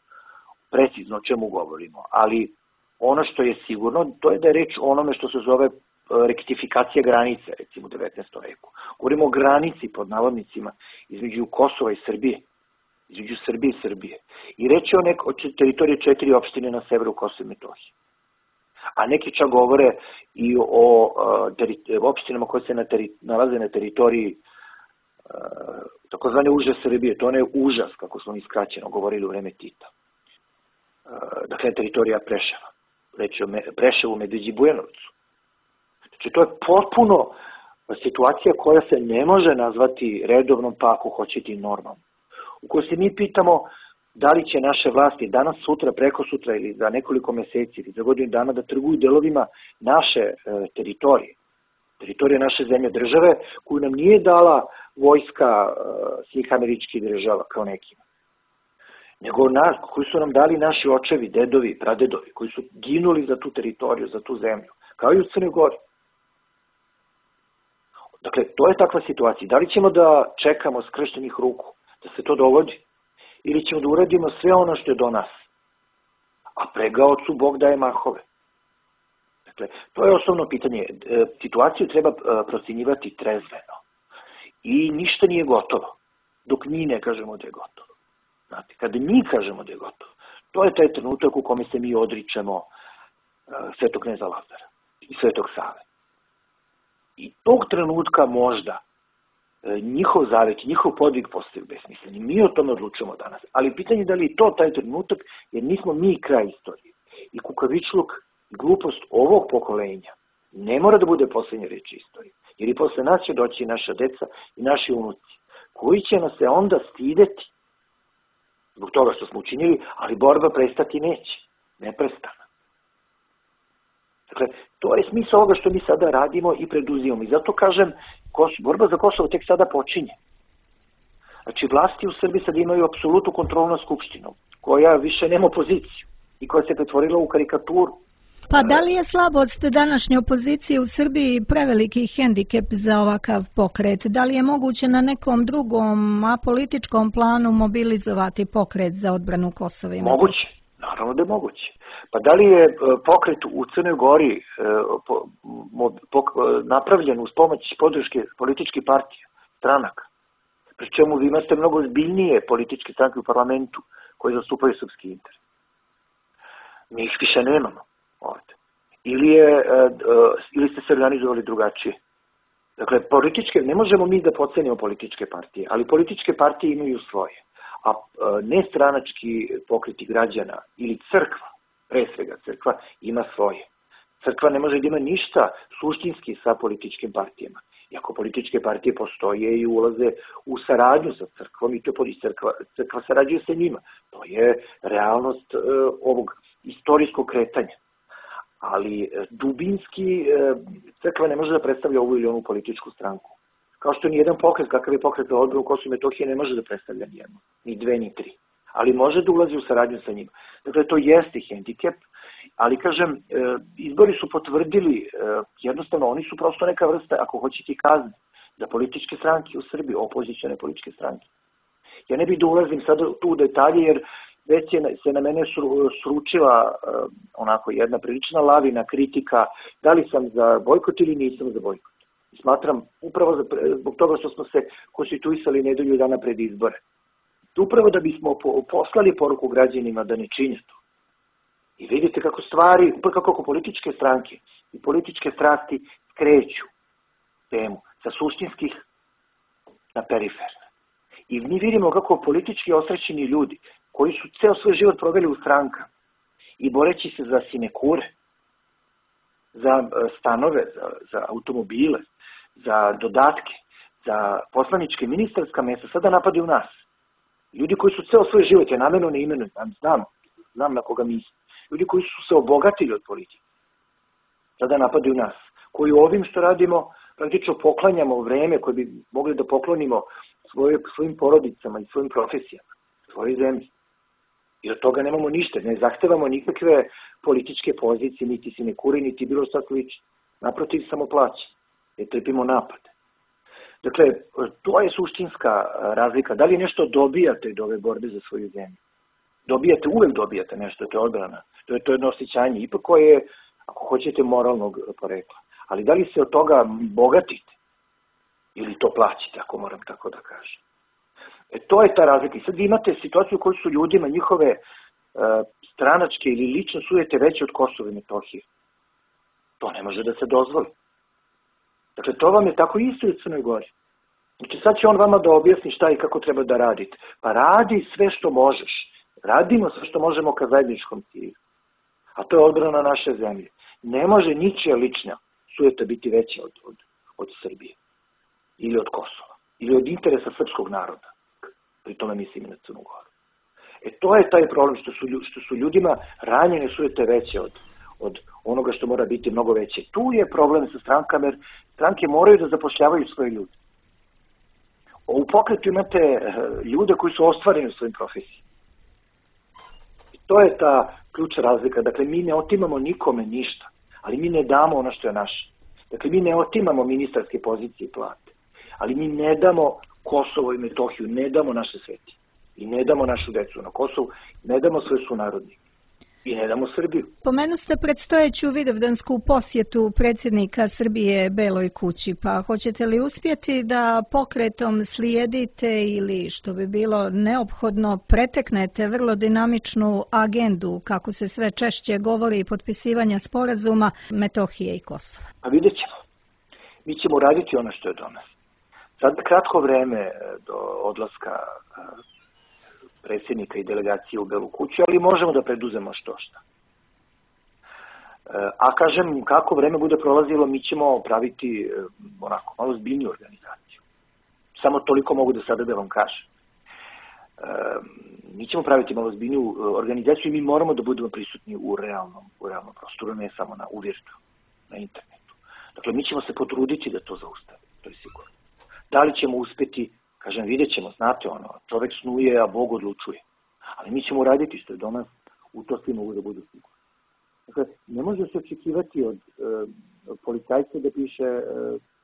Speaker 3: precizno o čemu govorimo, ali ono što je sigurno, to je da je reč o onome što se zove rektifikacija granice, recimo u devetnaestom veku. Govorimo o granici, pod navodnicima, između Kosova i Srbije, između Srbije i Srbije. I reč je o, nek, o teritoriji četiri opštine na severu Kosova i Metohije. A neki čak govore i o, o teri, opštinama koje se na teri, nalaze na teritoriji uh, takozvane uže Srbije. To je užas, kako smo iskraćeno govorili u vreme Tita. Uh, dakle, teritorija Preševa. Reč je o me, Preševu, Medveđi i Bujanovcu. Znači, to je potpuno situacija koja se ne može nazvati redovnom, pa ako hoćete i normalnom. U kojoj se mi pitamo da li će naše vlasti danas, sutra, preko sutra ili za nekoliko meseci ili za godinu dana da trguju delovima naše e, teritorije, teritorije naše zemlje države, koju nam nije dala vojska e, svih američkih država kao nekima, nego nas, koji su nam dali naši očevi, dedovi, pradedovi, koji su ginuli za tu teritoriju, za tu zemlju, kao i u Crnoj Gori. Dakle, to je takva situacija. Da li ćemo da čekamo skrštenih ruku da se to dogodi? Ili ćemo da uradimo sve ono što je do nas? A pregaocu Bog daje mahove. Dakle, to je osnovno pitanje. Situaciju treba procjenjivati trezveno. I ništa nije gotovo, dok mi ne kažemo da je gotovo. Znate, kada mi kažemo da je gotovo, to je taj trenutak u kome se mi odričemo Svetog kneza Lazara i Svetog Save. I tog trenutka možda njihov zavet, njihov podvig postaju besmisleni. Mi o tome odlučujemo danas. Ali pitanje je da li je to taj trenutak, jer nismo mi kraj istorije. I kukavičluk, glupost ovog pokolenja ne mora da bude poslednja reč istorije. Jer i posle nas će doći naša deca i naši unuci, koji će nas se onda stideti zbog toga što smo učinili, ali borba prestati neće. Neprestana. Dakle, to je smisao ovoga što mi sada radimo i preduzimamo. I zato kažem, borba za Kosovo tek sada počinje. Znači, vlasti u Srbiji sad imaju apsolutnu kontrolu nad Skupštinom, koja više nema opoziciju i koja se pretvorila u karikaturu.
Speaker 4: Pa da li je slabost današnje opozicije u Srbiji preveliki hendikep za ovakav pokret? Da li je moguće na nekom drugom apolitičkom planu mobilizovati pokret za odbranu Kosova i Metohije?
Speaker 3: Moguće, naravno da je moguće. Pa da li je pokret u Crnoj Gori napravljen uz pomoć podrške političkih partija, stranaka? Pri čemu vi imate mnogo zbiljnije političke stranke u parlamentu koje zastupaju srpski interes. Mi ih više nemamo ovde. Ili, je, ili ste se organizovali drugačije. Dakle, političke, ne možemo mi da pocenimo političke partije, ali političke partije imaju svoje. A nestranački pokreti građana ili crkva, pre svega crkva, ima svoje. Crkva ne može da ima ništa suštinski sa političkim partijama. Iako političke partije postoje i ulaze u saradnju sa crkvom i to crkva, crkva sarađuje sa njima. To je realnost uh, ovog istorijskog kretanja. Ali dubinski uh, crkva ne može da predstavlja ovu ili onu političku stranku. Kao što ni jedan pokret, kakav je pokret za odbranu Kosova i Metohije, ne može da predstavlja nijedno, ni dve, ni tri. Ali može da ulazi u saradnju sa njima. Dakle, to jeste hendikep, ali kažem, izbori su potvrdili, jednostavno, oni su prosto neka vrsta, ako hoćete, kazne, da političke stranke u Srbiji, opozicijone političke stranke. Ja ne bih da ulazim sad tu u detalje, jer već je se na mene sručila onako jedna prilična lavina kritika, da li sam za bojkot ili nisam za bojkot. Smatram, upravo zbog toga što smo se konstituisali nedelju dana pred izbore. Upravo da bismo poslali poruku građanima da ne čine to. I vidite kako stvari, kako političke stranke i političke strasti skreću temu sa suštinskih na periferne. I mi vidimo kako politički osrećeni ljudi koji su ceo svoj život proveli u strankama i boreći se za sinekure, za stanove, za, za automobile, za dodatke, za poslaničke ministarska mesta, sada napadaju nas. Ljudi koji su ceo svoj život, ja namerno ne imenujem, znam, znam na koga mislim, ljudi koji su se obogatili od politike, sada napadaju nas, koji ovim što radimo praktično poklanjamo vreme koje bi mogli da poklonimo svoje, svojim porodicama i svojim profesijama, svojoj zemlji. I od toga nemamo ništa. Ne zahtevamo nikakve političke pozicije, niti sinekure, niti bilo šta slično. Naprotiv, samo plaće. Jer trpimo napade. Dakle, to je suštinska razlika. Da li nešto dobijate od ove borbe za svoju zemlju? Dobijate, uvek dobijate nešto, to je odbrana. To je to jedno osjećanje, ipak koje je, ako hoćete, moralnog porekla. Ali da li se od toga bogatite? Ili to plaćite, ako moram tako da kažem. E, to je ta razlika. I sad vi imate situaciju u kojoj su ljudima njihove e, stranačke ili lično sujete veće od Kosova i Metohije. To ne može da se dozvoli. Dakle, to vam je tako isto i u Crnoj Gori. Znači, sad će on vama da objasni šta i kako treba da radite. Pa radi sve što možeš. Radimo sve što možemo ka zajedničkom cilju. A to je odbrana naše zemlje. Ne može ničija lična sujeta biti veća od, od, od Srbije. Ili od Kosova. Ili od interesa srpskog naroda. Pri tome mislim i na Crnu Goru. E to je taj problem što su, što su ljudima ranjene sujete veće od, od onoga što mora biti mnogo veće. Tu je problem sa strankama, jer stranke moraju da zapošljavaju svoje ljude. U pokretu imate ljude koji su ostvareni u svojim profesijama. I to je ta ključna razlika. Dakle, mi ne otimamo nikome ništa, ali mi ne damo ono što je naše. Dakle, mi ne otimamo ministarske pozicije i plate, ali mi ne damo Kosovo i Metohiju, ne damo naše sveti. I ne damo našu decu na Kosovu, ne damo svoje sunarodnike. I ne damo Srbiju.
Speaker 4: Pomenu ste predstojeću vidovdansku posjetu predsjednika Srbije Beloj kući, pa hoćete li uspjeti da pokretom slijedite ili, što bi bilo neophodno, preteknete vrlo dinamičnu agendu, kako se sve češće govori, potpisivanja sporazuma Metohije i Kosova?
Speaker 3: Pa vidjet ćemo. Mi ćemo raditi ono što je do nas. Sad kratko vreme do odlaska predsjednika i delegacije u Belu kuću, ali možemo da preduzemo što šta. A kažem, kako vreme bude prolazilo, mi ćemo praviti onako malo zbiljniju organizaciju. Samo toliko mogu da sada da vam kažem. Mi ćemo praviti malo zbiljniju organizaciju i mi moramo da budemo prisutni u realnom, u realnom prostoru, ne samo na uvirtu, na internetu. Dakle, mi ćemo se potruditi da to zaustavimo, to je sigurno. Da li ćemo uspjeti? Kažem, vidjet ćemo, znate ono, čovek snuje, a Bog odlučuje. Ali mi ćemo raditi što je do nas, u to svi mogu da budu sigurni. Dakle, ne može se očekivati od, e, od policajca da piše e,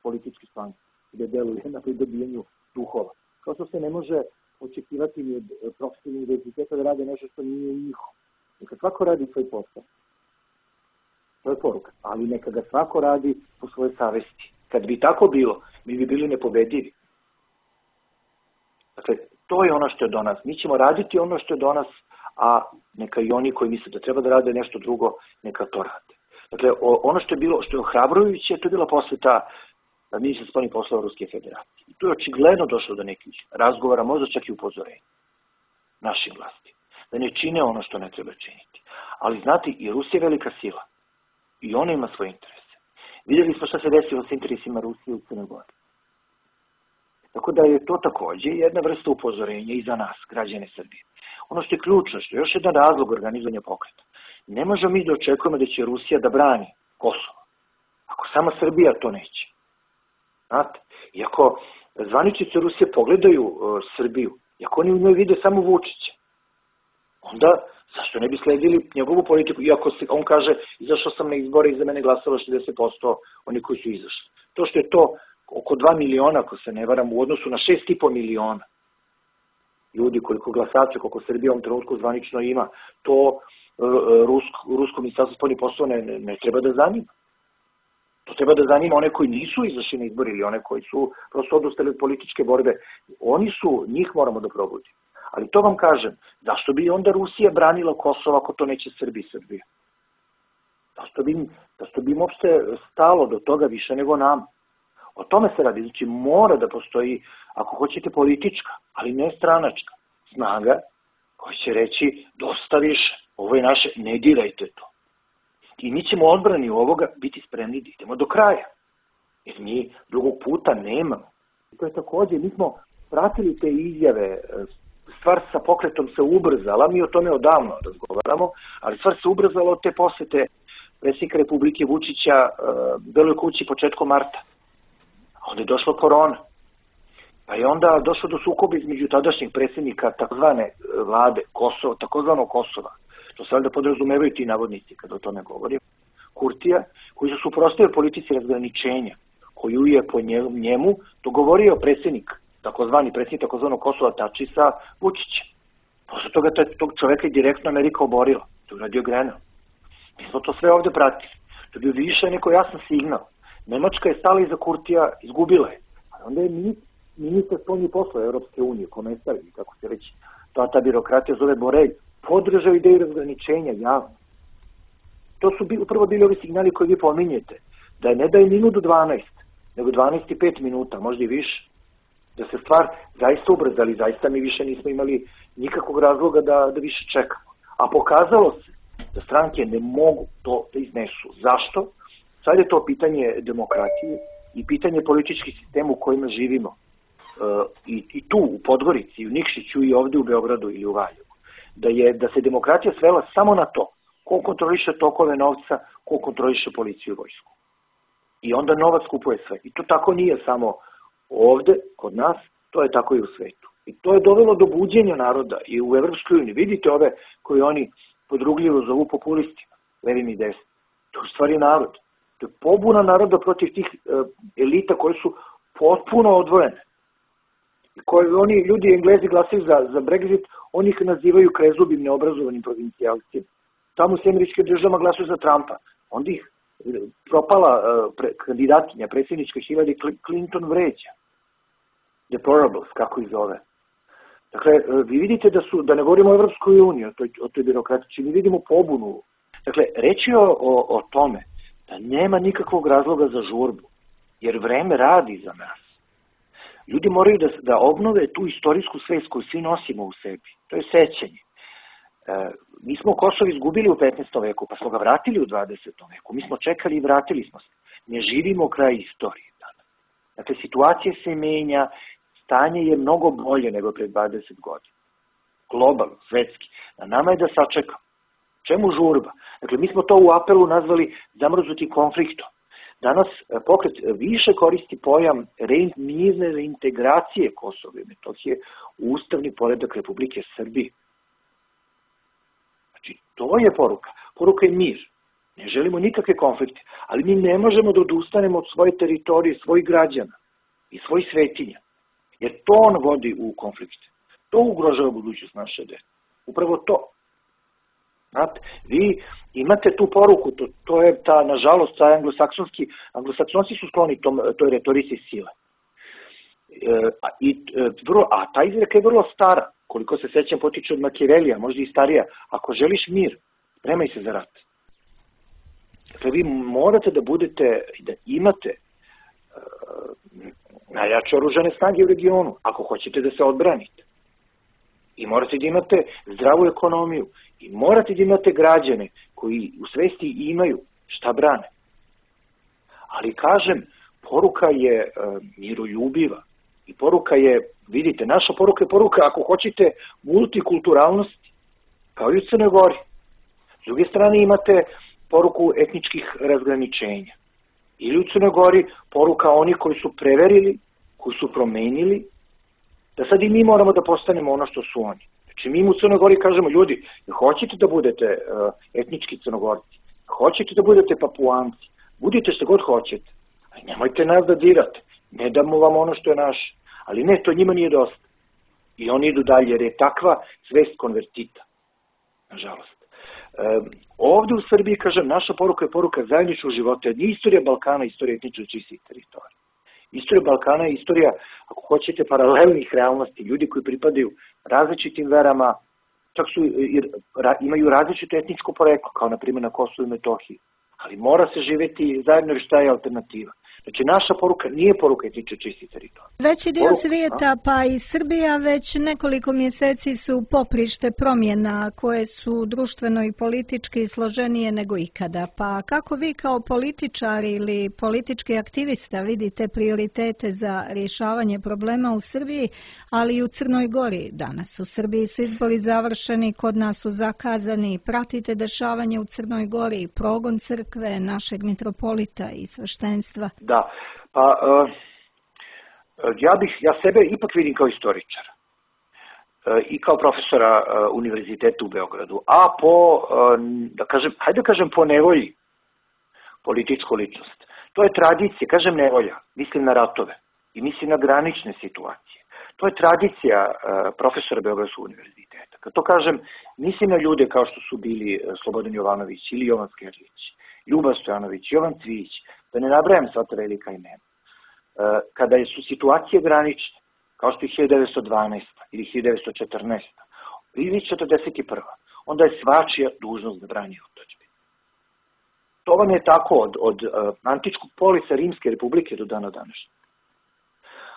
Speaker 3: politički slang, da deluje na pridobijenju duhova. Kao što se ne može očekivati ni od profesora univerziteta da rade nešto što nije njihovo. Neka svako radi svoj posao. To je poruka. Ali neka ga svako radi po svojoj savesti. Kad bi tako bilo, mi bi bili nepobedivi. Dakle, to je ono što je do nas. Mi ćemo raditi ono što je do nas, a neka i oni koji misle da treba da rade nešto drugo, neka to rade. Dakle, ono što je bilo, što je ohrabrujuće, to je bila posveta ministra spoljnih poslova Ruske federacije. I tu je očigledno došlo do nekih razgovora, možda čak i upozorenja našim vlasti. Da ne čine ono što ne treba činiti. Ali znate, i Rusija je velika sila. I ona ima svoje interese. Vidjeli smo šta se desilo s interesima Rusije u Crnoj Gori. Tako da je to također jedna vrsta upozorenja i za nas, građane Srbije. Ono što je ključno, što je još jedan razlog organizovanja pokreta. Ne možemo mi da očekujemo da će Rusija da brani Kosovo, ako sama Srbija to neće. Znate, i ako zvaničnici Rusije pogledaju uh, Srbiju, i ako oni u njoj vide samo Vučića, onda zašto ne bi sledili njegovu politiku, iako se, on kaže, izašao sam na izbore i za mene glasalo šezdeset posto oni koji su izašli. To što je to oko dva miliona, ako se ne varam, u odnosu na šest i po miliona ljudi, koliko glasača, koliko Srbija u ovom trenutku zvanično ima, to rusko, rusko ministarstvo spoljnih poslova ne, ne, ne treba da zanima. To treba da zanima one koji nisu izašli na izbor ili one koji su prosto odustali od političke borbe. Oni su, njih moramo da probudimo. Ali to vam kažem, zašto bi onda Rusija branila Kosovo ako to neće Srbija i Srbija? Zašto bi, zašto bi im uopšte stalo do toga više nego nam? O tome se radi. Znači mora da postoji, ako hoćete, politička, ali ne stranačka snaga koja će reći dosta više, ovo je naše, ne dirajte to. I mi ćemo odbrani ovoga biti spremni da idemo do kraja. Jer mi drugog puta nemamo. I to je također, mi smo pratili te izjave, stvar sa pokretom se ubrzala, mi o tome odavno razgovaramo, ali stvar se ubrzala od te posete predsjednika Republike Vučića Beloj kući početkom marta. A onda je došla korona. Pa je onda došlo do sukoba između tadašnjeg predsjednika takozvane vlade Kosova, takozvanog Kosova, to se valjda podrazumevaju ti navodnici kada o tome govorim, Kurtija, koji su suprotstavili politici razgraničenja, koju je po njemu dogovorio predsjednik, takozvani predsjednik takozvanog Kosova Tači sa Vučićem. Posle toga tog čoveka je direktno Amerika oborila. To je uradio Grenell. Mi smo to sve ovde pratili. To je bio više neko jasan signal. Nemačka je stala iza Kurtija, izgubila je. Ali onda je ministar spoljnih poslova Evropske unije, komesar, kako se reći, ta, ta birokratija zove Borelj, podržao ideju razgraničenja javno. To su upravo bili ovi signali koji vi pominjete. Da ne da je minut do dvanaest, nego dvanaest i pet minuta, možda i više. Da se stvar zaista ubrzali, zaista mi više nismo imali nikakvog razloga da, da više čekamo. A pokazalo se da stranke ne mogu to da iznesu. Zašto? Sad je to pitanje demokratije i pitanje političkih sistema u kojima živimo. E, i, I tu u Podgorici, i u Nikšiću, i ovde u Beogradu ili u Valjevu. Da, je, da se demokratija svela samo na to ko kontroliše tokove novca, ko kontroliše policiju i vojsku. I onda novac kupuje sve. I to tako nije samo ovde, kod nas, to je tako i u svetu. I to je dovelo do buđenja naroda i u Evropskoj uniji. Vidite ove koji oni podrugljivo zovu populistima, levim i desnim. To je u stvari narod. To je pobuna naroda protiv tih uh, elita koje su potpuno odvojene. I koje oni, ljudi Englezi glasaju za, za Brexit, oni ih nazivaju krezubim, neobrazovanim provincijalcima. Tamo u Američkim državama glasuju za Trumpa. Onda ih propala uh, pre, kandidatkinja predsjednička Hillary Clinton vređa. Deplorables, kako ih zove. Dakle, vi vidite da su, da ne govorimo o Evropskoj uniji, o toj, o toj birokratici, mi vidimo pobunu. Dakle, reći o, o, o tome da nema nikakvog razloga za žurbu, jer vreme radi za nas. Ljudi moraju da, da obnove tu istorijsku svest koju svi nosimo u sebi. To je sećanje. E, mi smo Kosovo izgubili u petnaestom veku, pa smo ga vratili u dvadesetom veku. Mi smo čekali i vratili smo se. Ne živimo kraj istorije danas. Dakle, situacija se menja, stanje je mnogo bolje nego pred dvadeset godina. Globalno, svetski. Na nama je da sačekamo. Čemu žurba? Dakle, mi smo to u apelu nazvali zamrznutim konfliktom. Danas pokret više koristi pojam mirne reintegracije Kosova i Metohije u ustavni poredak Republike Srbije. Znači, to je poruka. Poruka je mir. Ne želimo nikakve konflikte, ali mi ne možemo da odustanemo od svoje teritorije, svojih građana i svojih svetinja. Jer to on vodi u konflikte. To ugrožava budućnost naše dece. Upravo to. Znate, vi imate tu poruku, to, to je ta, nažalost, ta anglosaksonski, anglosaksonci su skloni tom, toj retorici sile. E, a, i, e, vrlo, a ta izreka je vrlo stara, koliko se sećam potiče od Machiavellija, možda i starija. Ako želiš mir, spremaj se za rat. Dakle, vi morate da budete, da imate e, najjače oružane snage u regionu, ako hoćete da se odbranite. I morate da imate zdravu ekonomiju. I morate da imate građane koji u svesti imaju šta brane. Ali kažem, poruka je e, miroljubiva. I poruka je, vidite, naša poruka je poruka, ako hoćete, multikulturalnosti, kao i u Crnoj Gori. S druge strane imate poruku etničkih razgraničenja. Ili u Crnoj Gori poruka onih koji su preverili, koji su promenili, da sad i mi moramo da postanemo ono što su oni. Znači mi u Crnoj Gori kažemo, ljudi, hoćete da budete uh, etnički Crnogorci, hoćete da budete Papuanci, budite što god hoćete, ali nemojte nas da dirate, ne damo vam ono što je naše, ali ne, to njima nije dosta. I oni idu dalje, jer je takva svest konvertita, nažalost. Um, ovde u Srbiji, kažem, naša poruka je poruka zajedničkog života, jer nije istorija Balkana, istorija etničkih čistih teritorija. Istorija Balkana je istorija, ako hoćete, paralelnih realnosti, ljudi koji pripadaju različitim verama, čak su, imaju različito etničko poreklo, kao na primjer na Kosovu i Metohiji, ali mora se živeti zajedno, jer šta je alternativa. Znači, naša poruka nije poruka etničke čistih teritorija.
Speaker 4: Veći dio poruka, svijeta, a? pa i Srbija, već nekoliko mjeseci su poprište promjena koje su društveno i politički složenije nego ikada. Pa kako vi kao političar ili politički aktivista vidite prioritete za rješavanje problema u Srbiji, ali i u Crnoj Gori danas? U Srbiji su izbori završeni, kod nas su zakazani. Pratite dešavanje u Crnoj Gori, progon crkve, našeg mitropolita i sveštenstva?
Speaker 3: Da, pa uh, Ja bih, ja sebe ipak vidim kao istoričara i kao profesora univerziteta u Beogradu, a po, da kažem, hajde da kažem po nevolji političku ličnost. To je tradicija, kažem nevolja, mislim na ratove i mislim na granične situacije. To je tradicija profesora Beogradskog univerziteta. Kad to kažem, mislim na ljude kao što su bili Slobodan Jovanović ili Jovan Skerlić, Ljuba Stojanović, Jovan Cvijić, da ne nabrajam sva ta velika imena. Kada su situacije granične, kao što je hiljadu devetsto dvanaesta ili hiljadu devetsto četrnaesta ili četrdeset prva onda je svačija dužnost da brani otadžbinu. To vam je tako od, od uh, antičkog polisa Rimske republike do dana današnjeg.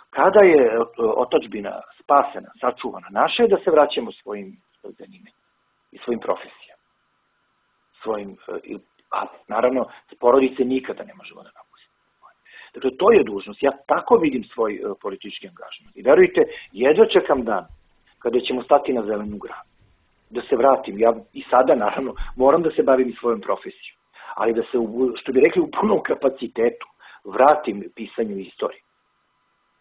Speaker 3: Kada je otadžbina spasena, sačuvana, naše je da se vraćamo svojim zanimanjima i svojim profesijama. Svojim, uh, a naravno, porodice nikada ne možemo da napustimo. Dakle, to je dužnost. Ja tako vidim svoj uh, politički angažman. I verujte, jedva čekam dan kada ćemo stati na zelenu granu. Da se vratim. Ja i sada, naravno, moram da se bavim i svojom profesijom. Ali da se, što bi rekli, u punom kapacitetu vratim pisanju istorije.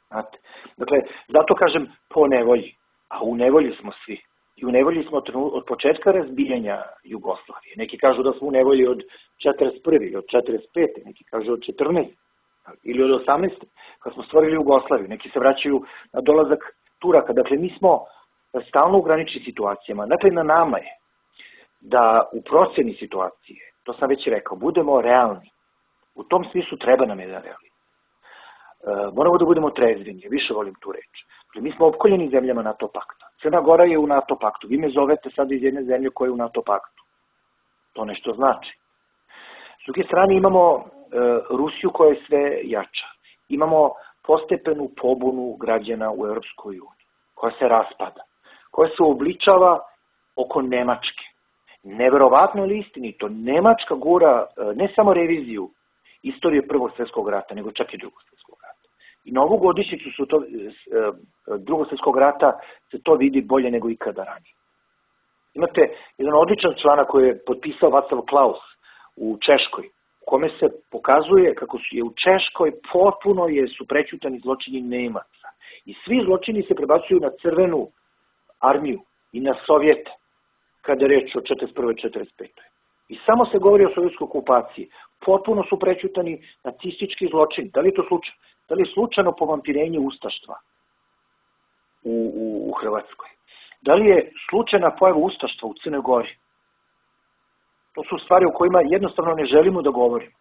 Speaker 3: Znate? Dakle, zato kažem po nevolji. A u nevolji smo svi. I u nevolji smo od početka razbijanja Jugoslavije. Neki kažu da smo u nevolji od četrdeset prve ili od četrdeset pete Neki kažu od četrnaeste ili od osamnaeste kad smo stvorili Jugoslaviju. Neki se vraćaju na dolazak Turaka. Dakle, mi smo stalno u graničnim situacijama. Dakle, na nama je da u proceni situacije, to sam već rekao, budemo realni. U tom smislu treba nam jedan realizam. E, moramo da budemo trezveni, više volim tu reč. Dakle, mi smo opkoljeni zemljama NATO pakta. Crna Gora je u NATO paktu. Vi me zovete sad iz jedne zemlje koja je u NATO paktu. To nešto znači. S druge strane imamo e, Rusiju koja je sve jača. Imamo postepenu pobunu građana u Europskoj uniji, koja se raspada, koja se obličava oko Nemačke. Neverovatno je istinito, Nemačka gura ne samo reviziju istorije Prvog svjetskog rata, nego čak i Drugog svjetskog rata. I na ovu godišnjicu su to, Drugog svjetskog rata se to vidi bolje nego ikada ranije. Imate jedan odličan članak koji je potpisao Václav Klaus u Češkoj, u kome se pokazuje kako su je u Češkoj potpuno je su prećutani zločini Nemaca. I svi zločini se prebacuju na crvenu armiju i na Sovjete, kada je reč o četrdeset prve četrdeset pete I samo se govori o sovjetskoj okupaciji. Potpuno su prećutani nacistički zločini. Da li je to slučajno? Da li je slučajno povampirenje ustaštva u, u, u Hrvatskoj? Da li je slučajna pojava ustaštva u Crnoj Gori? To su stvari o kojima jednostavno ne želimo da govorimo.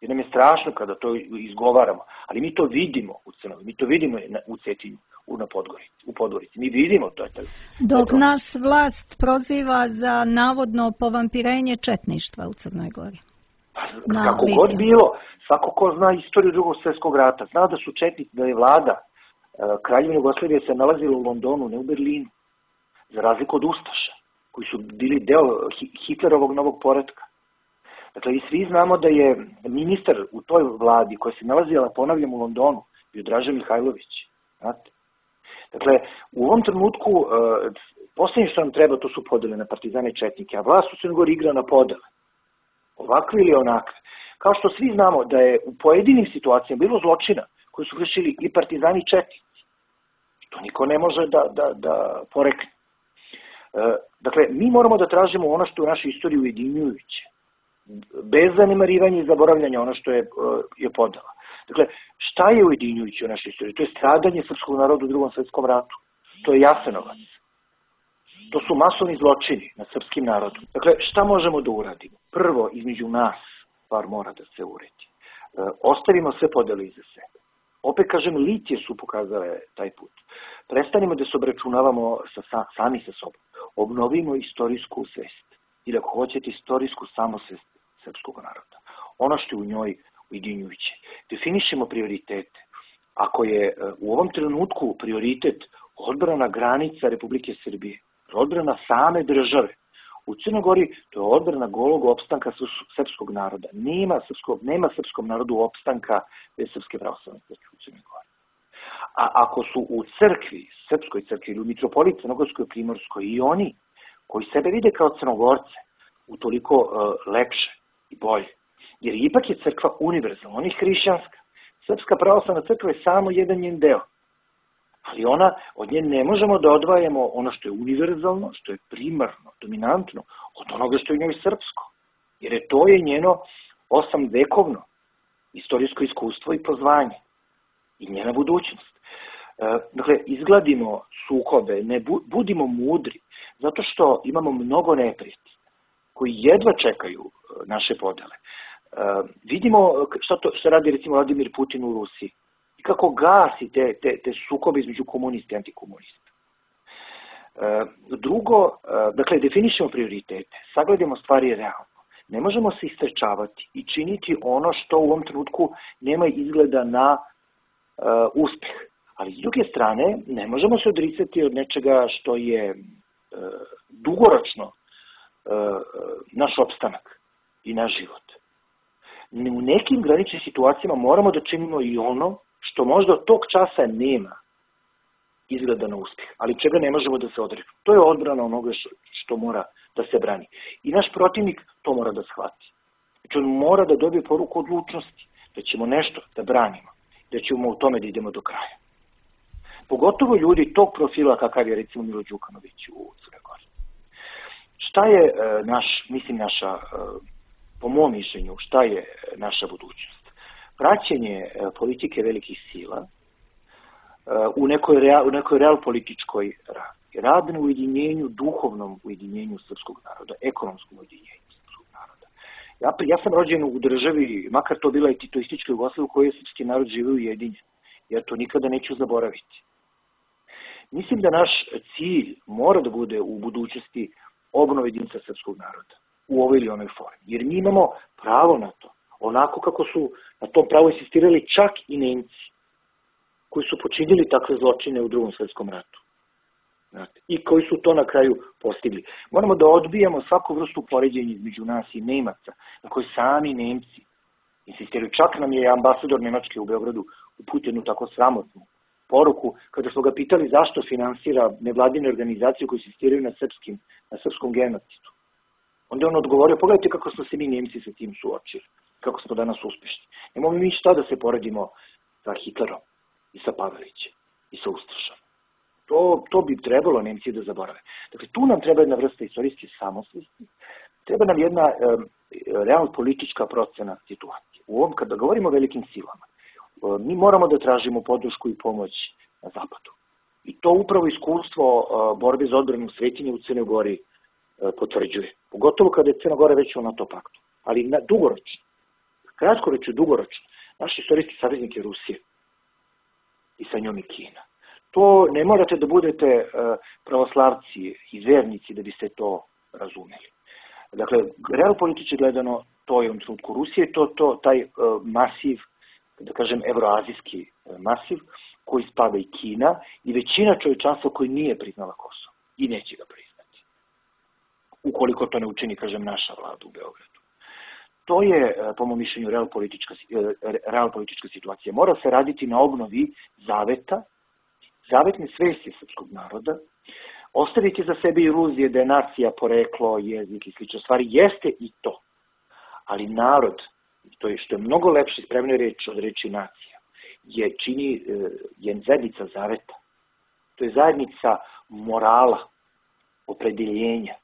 Speaker 3: Jer nam je strašno kada to izgovaramo. Ali mi to vidimo u Crnoj, mi to vidimo u Cetinju, u, na Podgorici, u Podgorici. Mi vidimo to. Je taj,
Speaker 4: Dok taj nas vlast proziva za navodno povampirenje četništva u Crnoj Gori.
Speaker 3: Pa, kako god bilo, svako ko zna istoriju Drugog svjetskog rata, zna da su četnici, da je vlada Kraljevine Jugoslavije se nalazila u Londonu, ne u Berlinu. Za razliku od ustaša, koji su bili deo Hitlerovog novog poretka. Dakle, i svi znamo da je ministar u toj vladi koja se nalazila, ponavljam, u Londonu, bio Draža Mihajlović. Znate? Dakle, u ovom trenutku, uh, posljednje što nam treba, to su podele na partizane i četnike, a vlast u Crnoj Gori igra na podele. Ovakve ili onakve. Kao što svi znamo da je u pojedinim situacijama bilo zločina koji su vršili i partizani i četnici. To niko ne može da, da, da porekne. Uh, dakle, mi moramo da tražimo ono što je u našoj istoriji ujedinjujuće. Bez zanemarivanja i zaboravljanja ono što je, je podela. Dakle, šta je ujedinjujuće u našoj istoriji? To je stradanje srpskog naroda u Drugom svjetskom ratu. To je Jasenovac. To su masovni zločini nad srpskim narodom. Dakle, šta možemo da uradimo? Prvo, između nas, stvar mora da se uredi. E, ostavimo sve podele iza sebe. Opet kažem, litije su pokazale taj put. Prestanimo da se obračunavamo sa, sa, sami sa sobom. Obnovimo istorijsku svest. Ili ako hoćete, istorijsku samosvest srpskog naroda. Ono što je u njoj ujedinjujuće. Definišemo prioritete. Ako je u ovom trenutku prioritet odbrana granica Republike Srbije, odbrana same države, u Crnoj Gori to je odbrana golog opstanka srpskog naroda. Nema, srpskog, nema srpskom narodu opstanka bez Srpske pravoslavne crkve u Crnoj Gori. A ako su u crkvi, srpskoj crkvi ili u mitropoliji Crnogorskoj i Primorskoj i oni koji sebe vide kao Crnogorce, utoliko uh, lepše i bolje. Jer ipak je crkva univerzalna, ona je hrišćanska. Srpska pravoslavna crkva je samo jedan njen deo. Ali ona, od nje ne možemo da odvajamo ono što je univerzalno, što je primarno, dominantno, od onoga što je u njoj srpsko. Jer je to je njeno osam vekovno istorijsko iskustvo i pozvanje. I njena budućnost. Dakle, izgladimo sukobe, ne budimo mudri, zato što imamo mnogo neprijatelja koji jedva čekaju naše podele. Vidimo šta, to, šta radi recimo Vladimir Putin u Rusiji i kako gasi te, te, te sukobe između komunista i antikomunista. Drugo, dakle, definišemo prioritete, sagledamo stvari realno. Ne možemo se istrečavati i činiti ono što u ovom trenutku nema izgleda na uh, uspeh. Ali s druge strane, ne možemo se odricati od nečega što je uh, dugoročno uh, naš opstanak i naš život. U nekim graničnim situacijama moramo da činimo i ono što možda od tog časa nema izgleda na uspeh, ali čega ne možemo da se odreknemo. To je odbrana onoga što, što mora da se brani. I naš protivnik to mora da shvati. Znači on mora da dobije poruku odlučnosti, da ćemo nešto da branimo, da ćemo u tome da idemo do kraja. Pogotovo ljudi tog profila kakav je recimo Milo Đukanović u Crnoj Gori. Šta je e, naš, mislim naša, e, po mom mišljenju, šta je naša budućnost? Praćenje e, politike velikih sila e, u nekoj, real, u nekoj real političkoj radi. Rad na ujedinjenju, duhovnom ujedinjenju srpskog naroda, ekonomskom ujedinjenju srpskog naroda. Ja, ja sam rođen u državi, makar to bila i titoistička Jugoslavija, u kojoj je srpski narod živio ujedinjen. Ja to nikada neću zaboraviti. Mislim da naš cilj mora da bude u budućnosti obnova jedinstva srpskog naroda u ovoj ili onoj formi. Jer mi imamo pravo na to. Onako kako su na tom pravo insistirali čak i Nemci, koji su počinili takve zločine u Drugom svetskom ratu. I koji su to na kraju postigli. Moramo da odbijamo svaku vrstu poređenja između nas i Nemaca, na koji sami Nemci insistiraju. Čak nam je ambasador Nemačke u Beogradu uputio jednu tako sramotnu poruku, kada smo ga pitali zašto finansira nevladine organizacije koje insistiraju na, srpskim, na srpskom genocidu. Onda je on odgovorio, pogledajte kako smo se mi Nemci sa tim suočili, kako smo danas uspešni. Nemamo mi šta da se poredimo sa Hitlerom i sa Pavelićem i sa Ustašom. To, to bi trebalo Nemci da zaborave. Dakle, tu nam treba jedna vrsta istorijske samosvesti, treba nam jedna e, realno politička procena situacije. U ovom, kada govorimo o velikim silama, e, mi moramo da tražimo podršku i pomoć na zapadu. I to upravo iskustvo e, borbe za odbranu svetinje u Crnoj Gori e, potvrđuje. Pogotovo kada je Crna Gora već u NATO paktu. Ali na, dugoročno, kratkoročno, dugoročno, naš istorijski saveznik je Rusija i sa njom i Kina. To ne morate da budete pravoslavci i vernici da biste to razumeli. Dakle, real politički gledano, to je u trenutku Rusije, to, to taj masiv, da kažem, evroazijski masiv, koji spada i Kina i većina čovječanstva koji nije priznala Kosovo i neće ga priznati. Ukoliko to ne učini, kažem, naša vlada u Beogradu. To je, po mom mišljenju, real politička, real politička situacija. Mora se raditi na obnovi zaveta, zavetne svesti srpskog naroda, ostaviti za sebe iluzije da je nacija poreklo, jezik i slično stvari, jeste i to. Ali narod, to je što je mnogo lepše spremna reč od reči nacija, je čini je zajednica zaveta. To je zajednica morala, opredeljenja,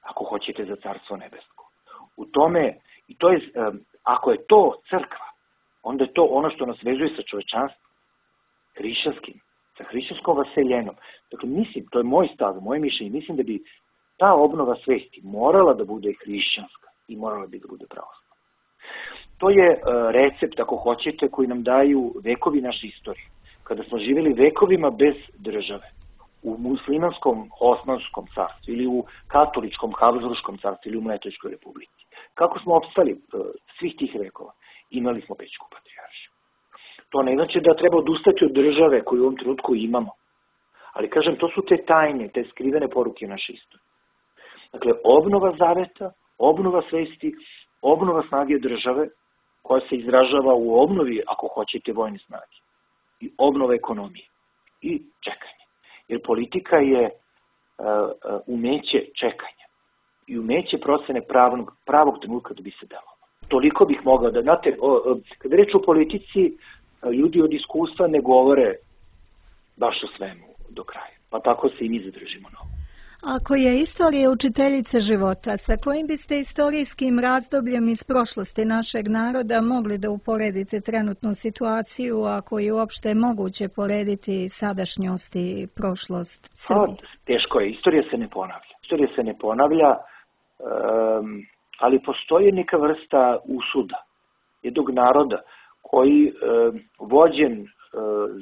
Speaker 3: ako hoćete, za carstvo nebesko. U tome, i to je, ako je to crkva, onda je to ono što nas vezuje sa čovečanstvom, hrišćanskim, sa hrišćanskom vaseljenom. Dakle, mislim, to je moj stav, moje mišljenje, mislim da bi ta obnova svesti morala da bude hrišćanska i morala bi da bude pravoslavna. To je uh, recept, ako hoćete, koji nam daju vekovi naše istorije. Kada smo živjeli vekovima bez države, u muslimanskom Osmanskom carstvu ili u katoličkom Habsburškom carstvu ili u Mletačkoj republici. Kako smo opstali uh, svih tih vekova? Imali smo Pećku patrijaršiju. To ne znači da treba odustati od države koju u ovom trenutku imamo. Ali, kažem, to su te tajne, te skrivene poruke naše istorije. Dakle, obnova zaveta, obnova svesti, obnova snage države, koja se izražava u obnovi, ako hoćete, vojne snage. I obnova ekonomije. I čekanje. Jer politika je uh, uh, umeće čekanja. I umeće procene pravog, pravog trenutka da bi se delalo. Toliko bih mogao da, znate, o, o, kada reč o politici, ljudi od iskustva ne govore baš o svemu do kraja. Pa tako se i mi zadržimo na ovo.
Speaker 4: Ako je istorija učiteljica života, sa kojim biste istorijskim razdobljem iz prošlosti našeg naroda mogli da uporedite trenutnu situaciju, ako je uopšte moguće porediti sadašnjost i prošlost Srbije?
Speaker 3: Teško je, istorija se ne ponavlja. Istorija se ne ponavlja, um, ali postoji neka vrsta usuda jednog naroda koji um, vođen um,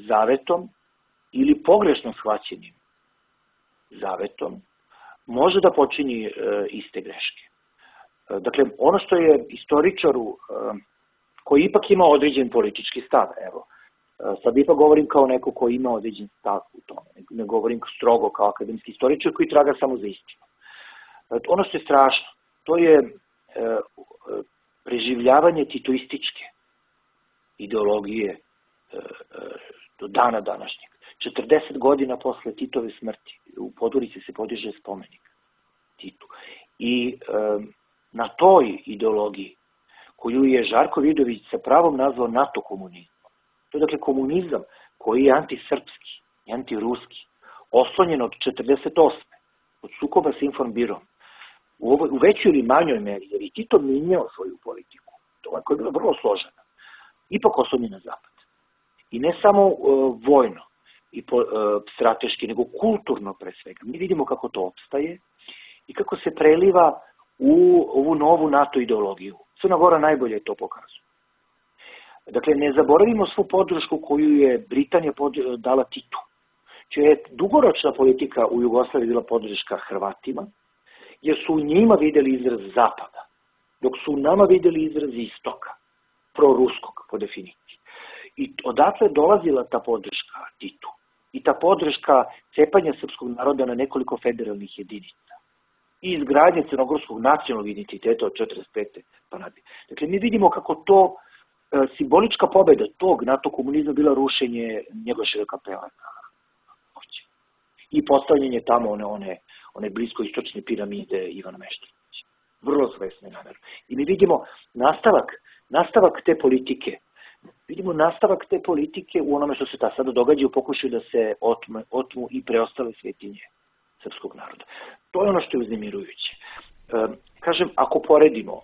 Speaker 3: zavetom ili pogrešno shvaćenim zavetom može da počini e, iste greške. E, dakle, ono što je istoričaru e, koji ipak ima određen politički stav, evo, e, sad ipak govorim kao neko koji ima određen stav u tome, ne, ne govorim strogo kao akademski istoričar koji traga samo za istinu. E, ono što je strašno, to je e, preživljavanje titoističke ideologije e, e, do dana današnjeg. četrdeset godina posle Titove smrti u Podgorici se podiže spomenik Titu. I e, na toj ideologiji koju je Žarko Vidović sa pravom nazvao NATO komunizmom. To je dakle komunizam koji je antisrpski i antiruski, oslonjen od četrdeset osme od sukoba sa Informbirom. U, ovoj, u većoj ili manjoj meri, jer i Tito minjao svoju politiku, to koja je bila vrlo složena, ipak oslonjen na zapad. I ne samo e, vojno, i po, e, strateški, nego kulturno pre svega. Mi vidimo kako to opstaje i kako se preliva u ovu novu NATO ideologiju. Crna Gora najbolje to pokazuje. Dakle, ne zaboravimo svu podršku koju je Britanija pod, dala Titu, čija je dugoročna politika u Jugoslaviji bila podrška Hrvatima, jer su u njima videli izraz zapada, dok su u nama videli izraz istoka, proruskog po definiciji. I odatle dolazila ta podrška Titu. I ta podrška cepanja srpskog naroda na nekoliko federalnih jedinica. I izgradnje crnogorskog nacionalnog identiteta od četrdeset pete pa nadalje. Dakle, mi vidimo kako to e, simbolička pobeda tog NATO komunizma bila rušenje Njegoševe kapela na Ovći. I postavljanje tamo one, one, one bliskoistočne piramide Ivana Meštrovića. Vrlo svesne namere. I mi vidimo nastavak, nastavak te politike Vidimo nastavak te politike u onome što se ta sada događa u pokušaju da se otmu, otmu i preostale svetinje srpskog naroda. To je ono što je uznemirujuće. E, kažem, ako poredimo,